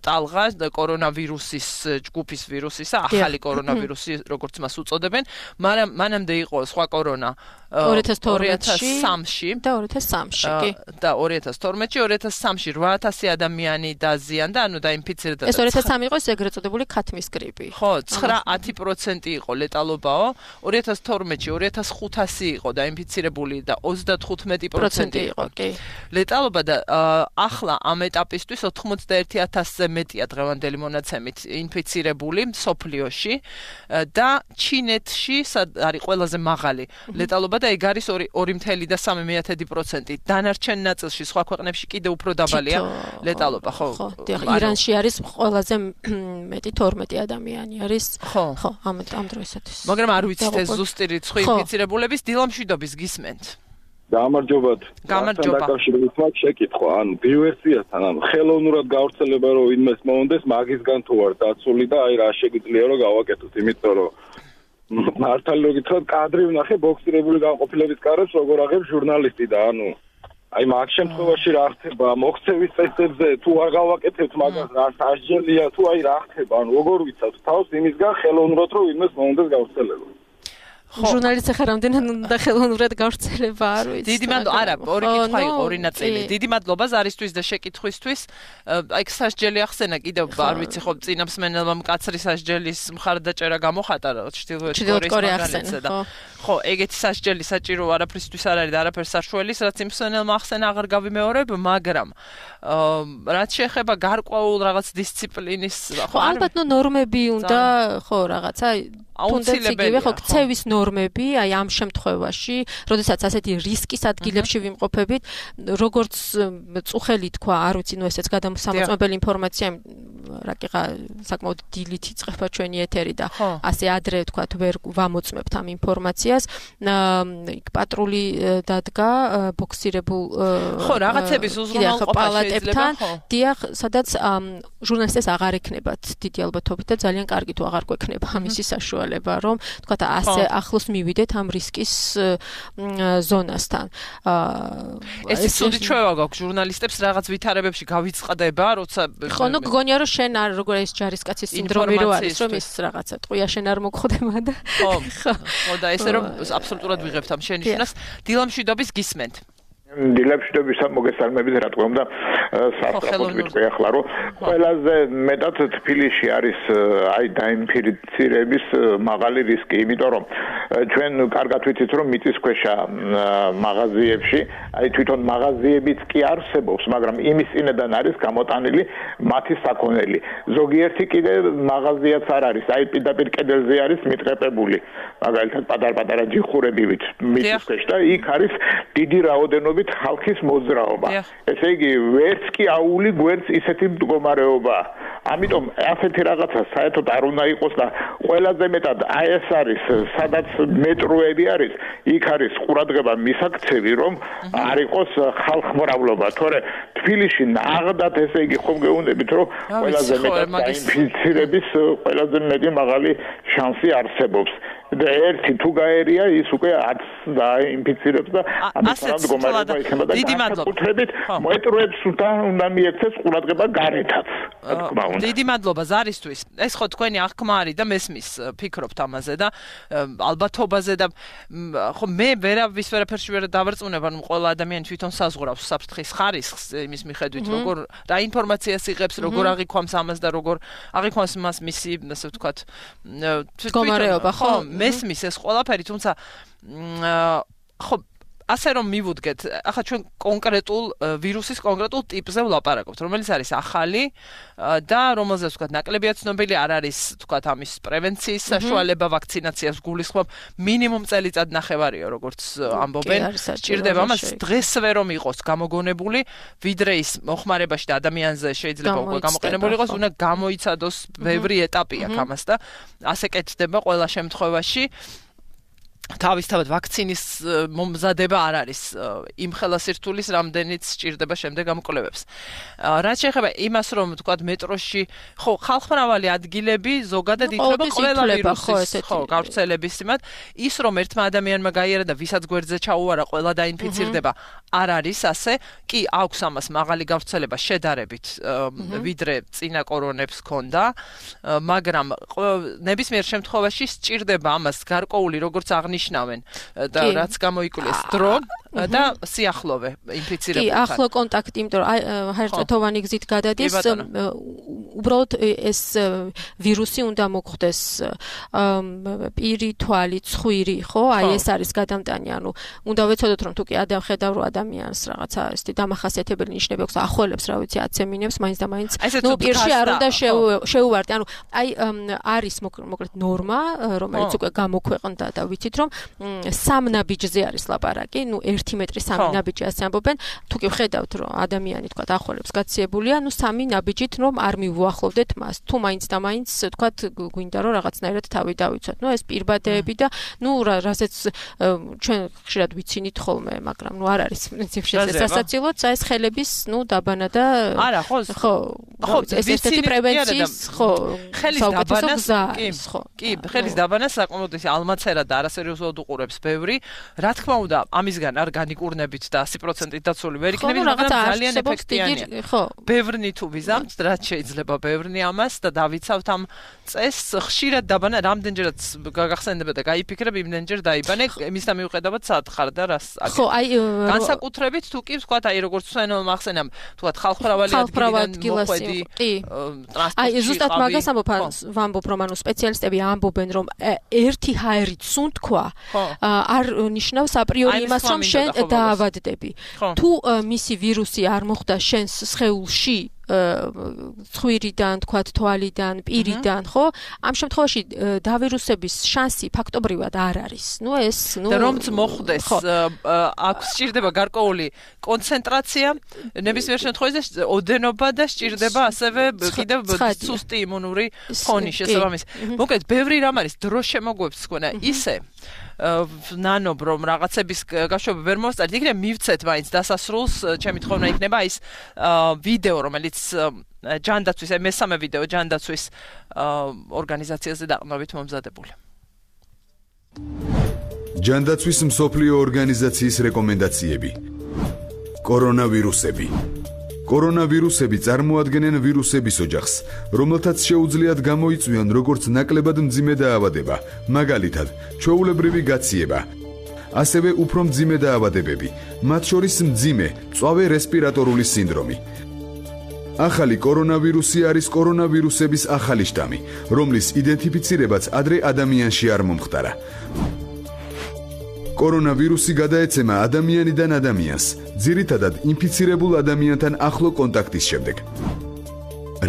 ტალღა კორონავირუსის ჯგუფის ვირუსისა, ახალი კორონავირუსი, როგორც მას უწოდებენ, მაგრამ მანამდე იყო სხვა კორონა 2003-ში და 2003-ში, კი. და 2012-ში, 2003-ში 8000 ადამიანი დაზიანდა, ანუ დაინფიცირდა. ეს 2003 იყო ეგრეთ წოდებული ქათმის გრიპი. ხო, 9% იყო ლეტალობაო, 2012-ში 2500 იყო დაინფიცირებული და 35% იყო. კი. ლეტალობა და ახლა ამ ეტაპისთვის 81000-ზე მეტია დღევანდელი მონაცემით ინფიცირებული სოფლიოში და ჩინეთში არის ყველაზე მაღალი ლეტალობა და ეგ არის 2.3%. დანარჩენ ნაწილში სხვა ქვეყნებში კიდევ უფრო დაბალია ლეტალობა, ხო? ხო, ირანში არის ყველაზე მეტი 12 ადამიანი არის. ხო, ამ დროისათვის. მაგრამ არ ვიცით ეს ზუსტი რიცხვი ინფიცირებულების დილამშვიდობის გისმენთ. გამარჯობათ. გამარჯობა. დაკავშირებით მაქვს შეკითხვა, ანუ დივერსიასთან, ანუ ხელოვნურად გავრცელება რომ ვინმეს მოუნდეს, მაგისგან თუ არ დაცული და აი რა შეგვიძლია რომ გავაკეთოთ, იმიტომ რომ მართალი რო გითხრათ, კადრი ვნახე ბოქსირებული განყოფილების კარებს, როგორ აღებს ჟურნალისტი და ანუ აი მაგ შემთხვევაში რა ხდება, მოქცევის წესებზე თუ არ გავაკეთებთ მაგას, რა სასჯელია თუ აი რა ხდება, ანუ როგორ ვიცავთ თავს იმისგან ხელოვნურად რომ ვინმეს მოუნდეს გავრცელება. ჟურნალისტი ხარ რამდენად უნდა ხელოვნურად გავრცელება არ ვიცი. დიდი მადლობა, არა, ორი კითხვა იყო, ორი ნაწილი. დიდი მადლობა ზარისთვის და შეკითხვისთვის. აი სასჯელი ახსენა კიდევ არ ვიცი ხო წინამსმენელმა მკაცრი სასჯელის მხარდაჭერა გამოხატა ჩრდილოეთ კორეის მაგალითად. ხო, ეგეთი სასჯელი საჭირო არაფრისთვის არ არის და არაფერს საშუალის, რაც იმსმენელმა ახსენა აღარ გავიმეორებ, მაგრამ რაც შეეხება გარკვეულ რაღაც დისციპლინის, ხო, ალბათ ნორმები უნდა, ხო, რაღაცა აუცილებელია ხო ქცევის ნორმები აი ამ შემთხვევაში, როდესაც ასეთი რისკის ადგილებში ვიმყოფებით, როგორც წუხელი თქვა, არ ვიცი, ნუ ესეც გადამოსამოწმებელი ინფორმაცია რაკიღა საკმაოდ დილით იწყება ჩვენი ეთერი და ასე ადრე თქვათ ვერ ვამოწმებთ ამ ინფორმაციას. იქ პატრული დადგა ბოქსირებულ რაღაცების უზრუნველყოფა პალატებთან, დიახ, სადაც ჟურნალისტებს აღარ ექნებათ დიდი ალბათობით და ძალიან კარგი თუ აღარ გვექნება ამისი საშუალება, რომ თქვათ ასე ახლოს მივიდეთ ამ რისკის ზონასთან. ეს ცუდი ჩვევა გაქვს ჟურნალისტებს რაღაც ვითარებებში გავიწყდება, როცა ხო, ნუ გგონია რომ შენ არ როგორ ეს ჯარისკაცის სინდრომი რო არის, რომ ის რაღაცა ტყვია შენ არ მოგხვდება და ხო და ესე რომ აბსოლუტურად ვიღებთ ამ შენიშვნას. დილამშვიდობის გისმენთ. დილამშვიდობის მოგესალმებით, რა თქმა უნდა, სასწრაფოდ ვიტყვი ახლა, რომ ყველაზე მეტად თბილისში არის აი დაინფიცირების მაღალი რისკი, იმიტომ რომ ჩვენ კარგად ვიცით, რომ მიწისქვეშა მაღაზიებში, აი თვითონ მაღაზიებიც კი არსებობს, მაგრამ იმის წინედან არის გამოტანილი მათი საქონელი. ზოგიერთი კიდე მაღაზიაც არ არის, აი პირდაპირ კედელზე არის მიტყეპებული, მაგალითად პატარ-პატარა ჯიხურებივით მიწისქვეშ და იქ არის დიდი რაოდენობით ხალხის მოძრაობა. ესე იგი, ვერც კი აული გვერდს ისეთი მდგომარეობა. ამიტომ ასეთი რაღაცა საერთოდ არ უნდა იყოს და ყველაზე მეტად აი ეს არის, სადაც მეტროები არის, იქ არის ყურადღება მისაქცევი, რომ არ იყოს ხალხმრავლობა. თორე თბილისში ნაღდათ ესე იგი ხომ გეუბნებით, რომ ყველაზე მეტად დაინფიცირების ყველაზე მეტი მაღალი შანსი არსებობს. და ერთი თუ გაერია ის უკვე არც დაინფიცირებს და ამიტომ მდგომარეობა იქნება და განსაკუთრებით მეტროებს უნდა მიექცეს ყურადღება გარეთაც. დიდი მადლობა ზარისთვის. ეს ხო თქვენი აღქმა არის და მესმის ფიქრობთ ამაზე და ალბათობაზე და ხო მე ვერაფერში ვერ დავარწმუნებ, ანუ ყველა ადამიანი თვითონ საზღვრავს საფრთხის ხარისხს იმის მიხედვით, როგორ რა ინფორმაციას იღებს, როგორ აღიქვამს ამას და როგორ აღიქვამს მას მისი, ასე ვთქვათ, მდგომარეობა, ხო? მესმის ეს ყველაფერი, თუმცა ხო ასე რომ მივუდგეთ, ახლა ჩვენ კონკრეტულ ვირუსის კონკრეტულ ტიპზე ვლაპარაკობთ, რომელიც არის ახალი და რომელზეც ვთქვათ ნაკლებია ცნობილი არ არის, ვთქვათ ამის პრევენციის საშუალება, ვაქცინაციას გულისხმობ, მინიმუმ წელიწად ნახევარია, როგორც ამბობენ. სჭირდება მას დღესვე რომ იყოს გამოგონებული, ვიდრე ის მოხმარებაში და ადამიანზე შეიძლება უკვე გამოყენებული იყოს, უნდა გამოიცადოს ბევრი ეტაპი აქვს ამას და ასე კეთდება ყველა შემთხვევაში. თავისთავად ვაქცინის მომზადება არ არის იმ ხელასირთულის რამდენიც სჭირდება შემდეგ ამ კვლევებს. რაც შეეხება იმას, რომ თქვათ მეტროში ხო ხალხმრავალი ადგილები ზოგადად ითვლება ყველა ვირუსის გავრცელების სიმად, ის რომ ერთმა ადამიანმა გაიარა და ვისაც გვერდზე ჩაუარა ყველა დაინფიცირდება, არ არის ასე. კი აქვს ამას მაღალი გავრცელება შედარებით, ვიდრე წინა კორონებს ჰქონდა, მაგრამ ნებისმიერ შემთხვევაში სჭირდება ამას გარკვეული როგორც ნიშნავენ და რაც გამოიკვლეს დრო და სიახლოვე ინფიცირებულთან. კი, ახლო კონტაქტი, იმიტომ რომ ჰაერწეთოვანი გზით გადადის, უბრალოდ ეს ვირუსი უნდა მოხვდეს პირი, თვალი, ცხვირი, ხო? აი ეს არის გადამტანი, ანუ უნდა ვეცოდოთ რომ თუ კი ხედავ რომ ადამიანს რაღაცა ესეთი დამახასიათებელი ნიშნები აქვს, ახველებს, რა ვიცი, აცემინებს, მაინც და მაინც ნუ პირში არ უნდა შეუვარდე. ანუ აი არის მოკლედ ნორმა, რომელიც უკვე გამოქვეყნდა და ვიცით რომ 3 ნაბიჯზე არის ლაპარაკი, ნუ 1 მეტრი 3 ნაბიჯი ასე ამბობენ. თუ კი ვხედავთ რომ ადამიანი თქვა ახველებს გაციებულია, ნუ 3 ნაბიჯით რომ არ მივუახლოვდეთ მას. თუ მაინც და მაინც თქვა გვინდა რომ რაღაცნაირად თავი დავიცვათ. ნუ ეს პირბადეები და ნუ რასაც ჩვენ ხშირად ვიცინით ხოლმე, მაგრამ ნუ არ არის პრინციპში ეს სასაცილოც, ეს ხელების ნუ დაბანა და არა, ხო, ეს ესეთი პრევენციის, ხო, ხელის დაბანას, კი, ხელის დაბანას საკმაოდ ალმაცერა და არასერიოზულად უყურებს ბევრი. რა თქმა უნდა, ამისგან არ განიკურნებით და 100%-ით დაცული ვერ იქნებით, მაგრამ ძალიან ეფექტიანია. ბევრნი თუ ვიზამთ, რაც შეიძლება ბევრნი ამას და დავიცავთ ამ წესს, ხშირად დაბანა რამდენჯერაც გაგახსენდება და გაიფიქრებ, იმდენჯერ დაიბანე, იმის და მიუხედავად სათხარ და რას ხო, აი განსაკუთრებით თუ კი ვთქვათ, აი როგორც სვენო მახსენამ, ვთქვათ ხალხმრავალი მოხვედი, ტრანსპორტში. აი ზუსტად მაგას ვამბობ, რომ ანუ სპეციალისტები ამბობენ, რომ ერთი ჰაერით სუნთქვა არ ნიშნავს აპრიორი იმას, რომ შენ დაავადდები. თუ მისი ვირუსი არ მოხვდა შენს სხეულში, ცხვირიდან, თქვათ, თვალიდან, პირიდან, ხო? ამ შემთხვევაში დავირუსების შანსი ფაქტობრივად არ არის. და რომც მოხდეს, აქ სჭირდება გარკვეული კონცენტრაცია, ნებისმიერ შემთხვევაში ოდენობა და სჭირდება ასევე კიდევ სუსტი იმუნური ფონი შესაბამისად. მოკლედ, ბევრი რამ არის დროს შემოგვეც თქვა ისე ნანობ რომ რაღაცების გაშვება ვერ მოსწარით, იქნებ მივცეთ მაინც დასასრულს, ჩემი თხოვნა იქნება ის ვიდეო, რომელიც ჯანდაცვის, მესამე ვიდეო ჯანდაცვის ორგანიზაციაზე დაყრდნობით მომზადებული. ჯანდაცვის მსოფლიო ორგანიზაციის რეკომენდაციები. კორონავირუსები. კორონავირუსები წარმოადგენენ ვირუსების ოჯახს, რომელთაც შეუძლიათ გამოიწვიონ როგორც ნაკლებად მძიმე დაავადება, მაგალითად, ჩვეულებრივი გაციება, ასევე უფრო მძიმე დაავადებები, მათ შორის მძიმე, მწვავე რესპირატორული სინდრომი. ახალი კორონავირუსი არის კორონავირუსების ახალი შტამი, რომლის იდენტიფიცირებაც ადრე ადამიანში არ მომხდარა. კორონავირუსი გადაეცემა ადამიანიდან ადამიანს, ძირითადად ინფიცირებულ ადამიანთან ახლო კონტაქტის შემდეგ.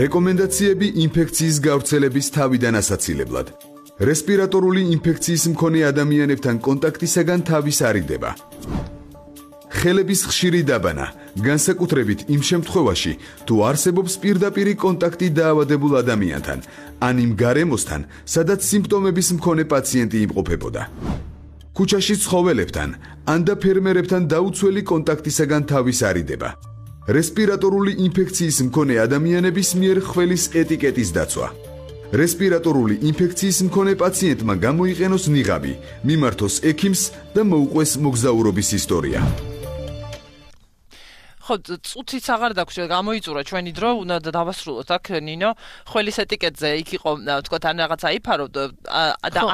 რეკომენდაციები ინფექციის გავრცელების თავიდან ასაცილებლად. რესპირატორული ინფექციის მქონე ადამიანებთან კონტაქტისაგან თავის არიდება. ხელების ხშირი დაბანა, განსაკუთრებით იმ შემთხვევაში, თუ არსებობს პირდაპირი კონტაქტი დაავადებულ ადამიანთან, ან იმ გარემოსთან, სადაც სიმპტომების მქონე პაციენტი იმყოფებოდა. ქუჩაში ცხოველებთან, ან და ფერმერებთან დაუცველი კონტაქტისაგან თავის არიდება. რესპირატორული ინფექციის მქონე ადამიანების მიერ ხველის ეტიკეტის დაცვა. რესპირატორული ინფექციის მქონე პაციენტმა გამოიყენოს ნიღაბი, მიმართოს ექიმს და მოუყვეს მოგზაურობის ისტორია. ხო, წუთიც აღარ დაგვჭირდა, გამოიწურა ჩვენი დრო, უნდა დავასრულოთ აქ ნინო, ხველის ეტიკეტზე იქ იყო, თქვა თან რაღაც აიფარო და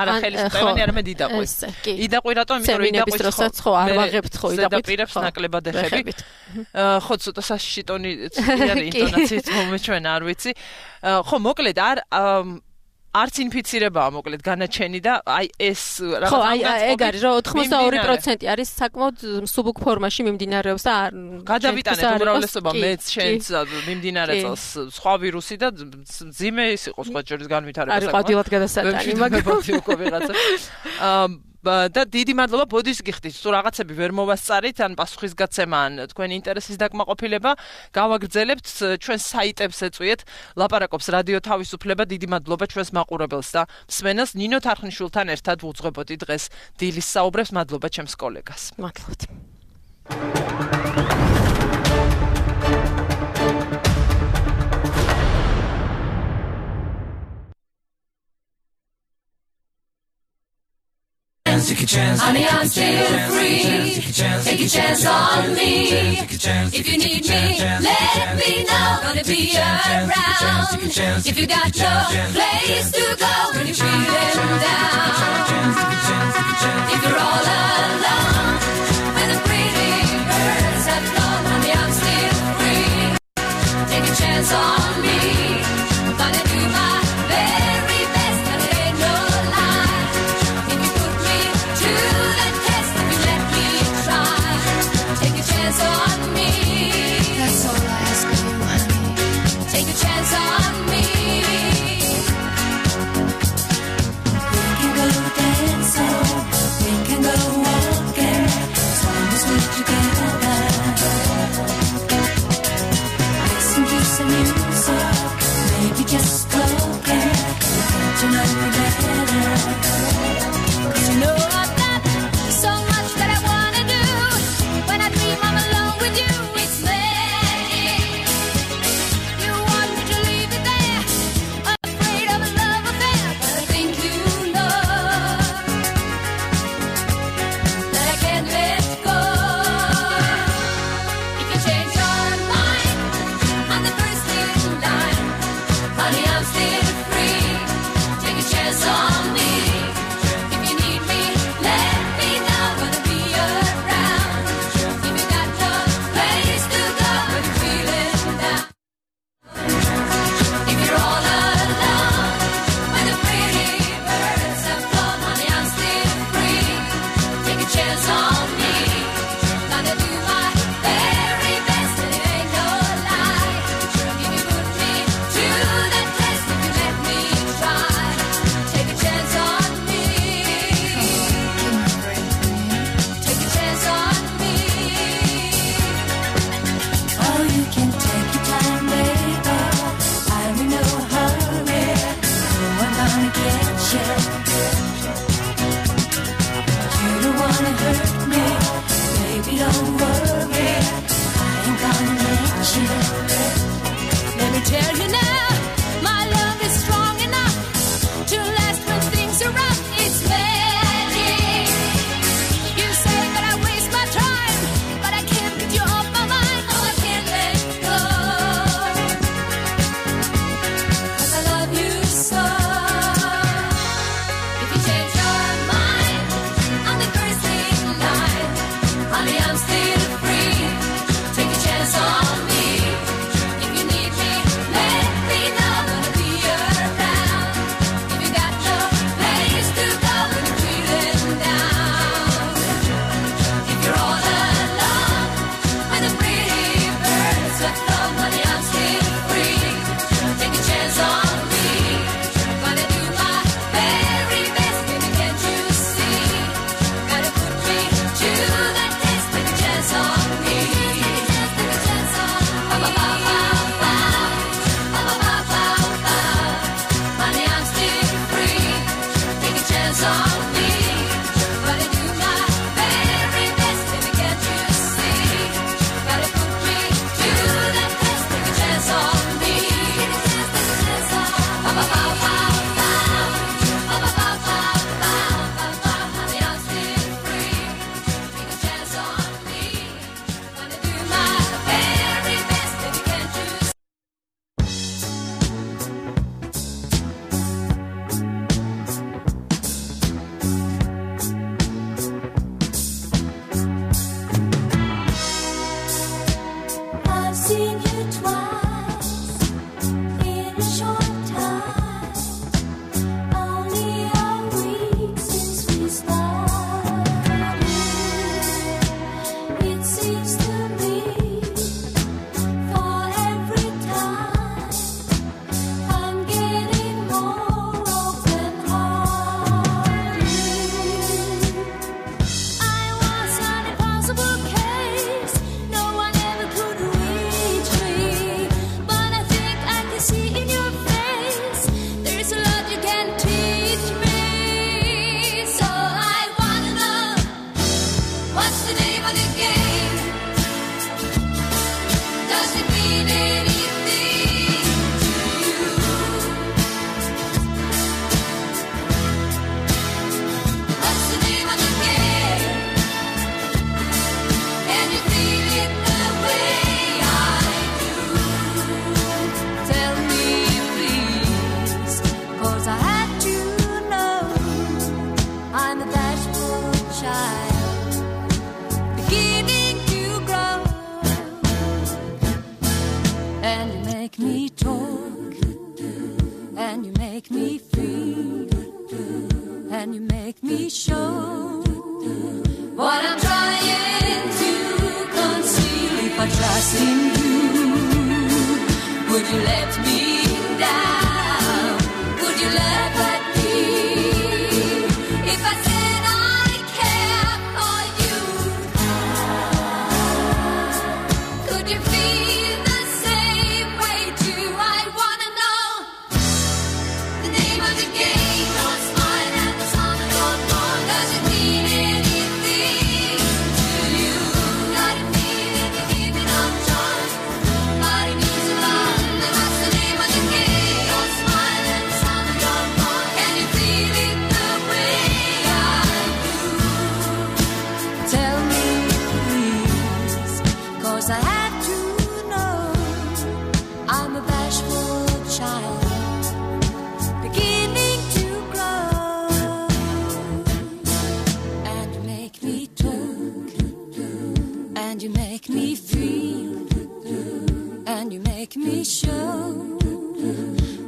არა ხელის მტევანი, არამედ იდაყვი. იდაყვი რატომ? იმიტომ რომ იდაყვის დროსაც ხო არ ვაღებთ ხო იდაყვით. ზედაპირებს ნაკლებად ეხებით. ხო, ცოტა საშიში ტონი არის ინტონაციით მომეჩვენა, არ ვიცი. ხო, მოკლედ არც ინფიცირებაა მოკლედ განაჩენი და აი ეს ხო აი ეგ არის რომ 82% არის საკმაოდ მსუბუქ ფორმაში მიმდინარეობს და გადავიტანეთ უმრავლესობა მეც შენც მიმდინარე წელს სხვა ვირუსი და ძიმე ის იყო სხვა ჯერის განვითარება არის ყვავილად გადასატანი მაგრამ და დიდი მადლობა ბოდის გიხდით თუ რაღაცები ვერ მოვასწარით ან პასუხისგაცემა ან თქვენი ინტერესის დაკმაყოფილება გავაგრძელებთ ჩვენ საიტებს ეწვიეთ ლაპარაკობს რადიო თავისუფლება დიდი მადლობა ჩვენს მაყურებელს და მსმენელს ნინო თარხნიშვილთან ერთად ვუძღვებოდი დღეს დილის საუბრებს მადლობა ჩემს კოლეგას მადლობთ Take a chance, honey, I'm still free. Take a chance on me. If you need me, let me know. Gonna be around. If you got no place to go, when you're feeling down. If you're all alone, when the pretty birds have flown, honey, I'm still free. Take a chance on me. Gonna do my very best, and it ain't no lie. If you put me to the test, if you let me try, take a chance on me. That's all I ask of you, honey. Take a chance on me. We can go dancing, we can go walking, as long as we're together. Listen to some music, maybe just talking, we'll get to know you better. 'Cause you know I've got so much that I wanna do. When I dream I'm alone with you, it's there.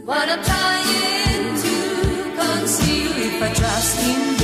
What I'm trying to conceal if I trust in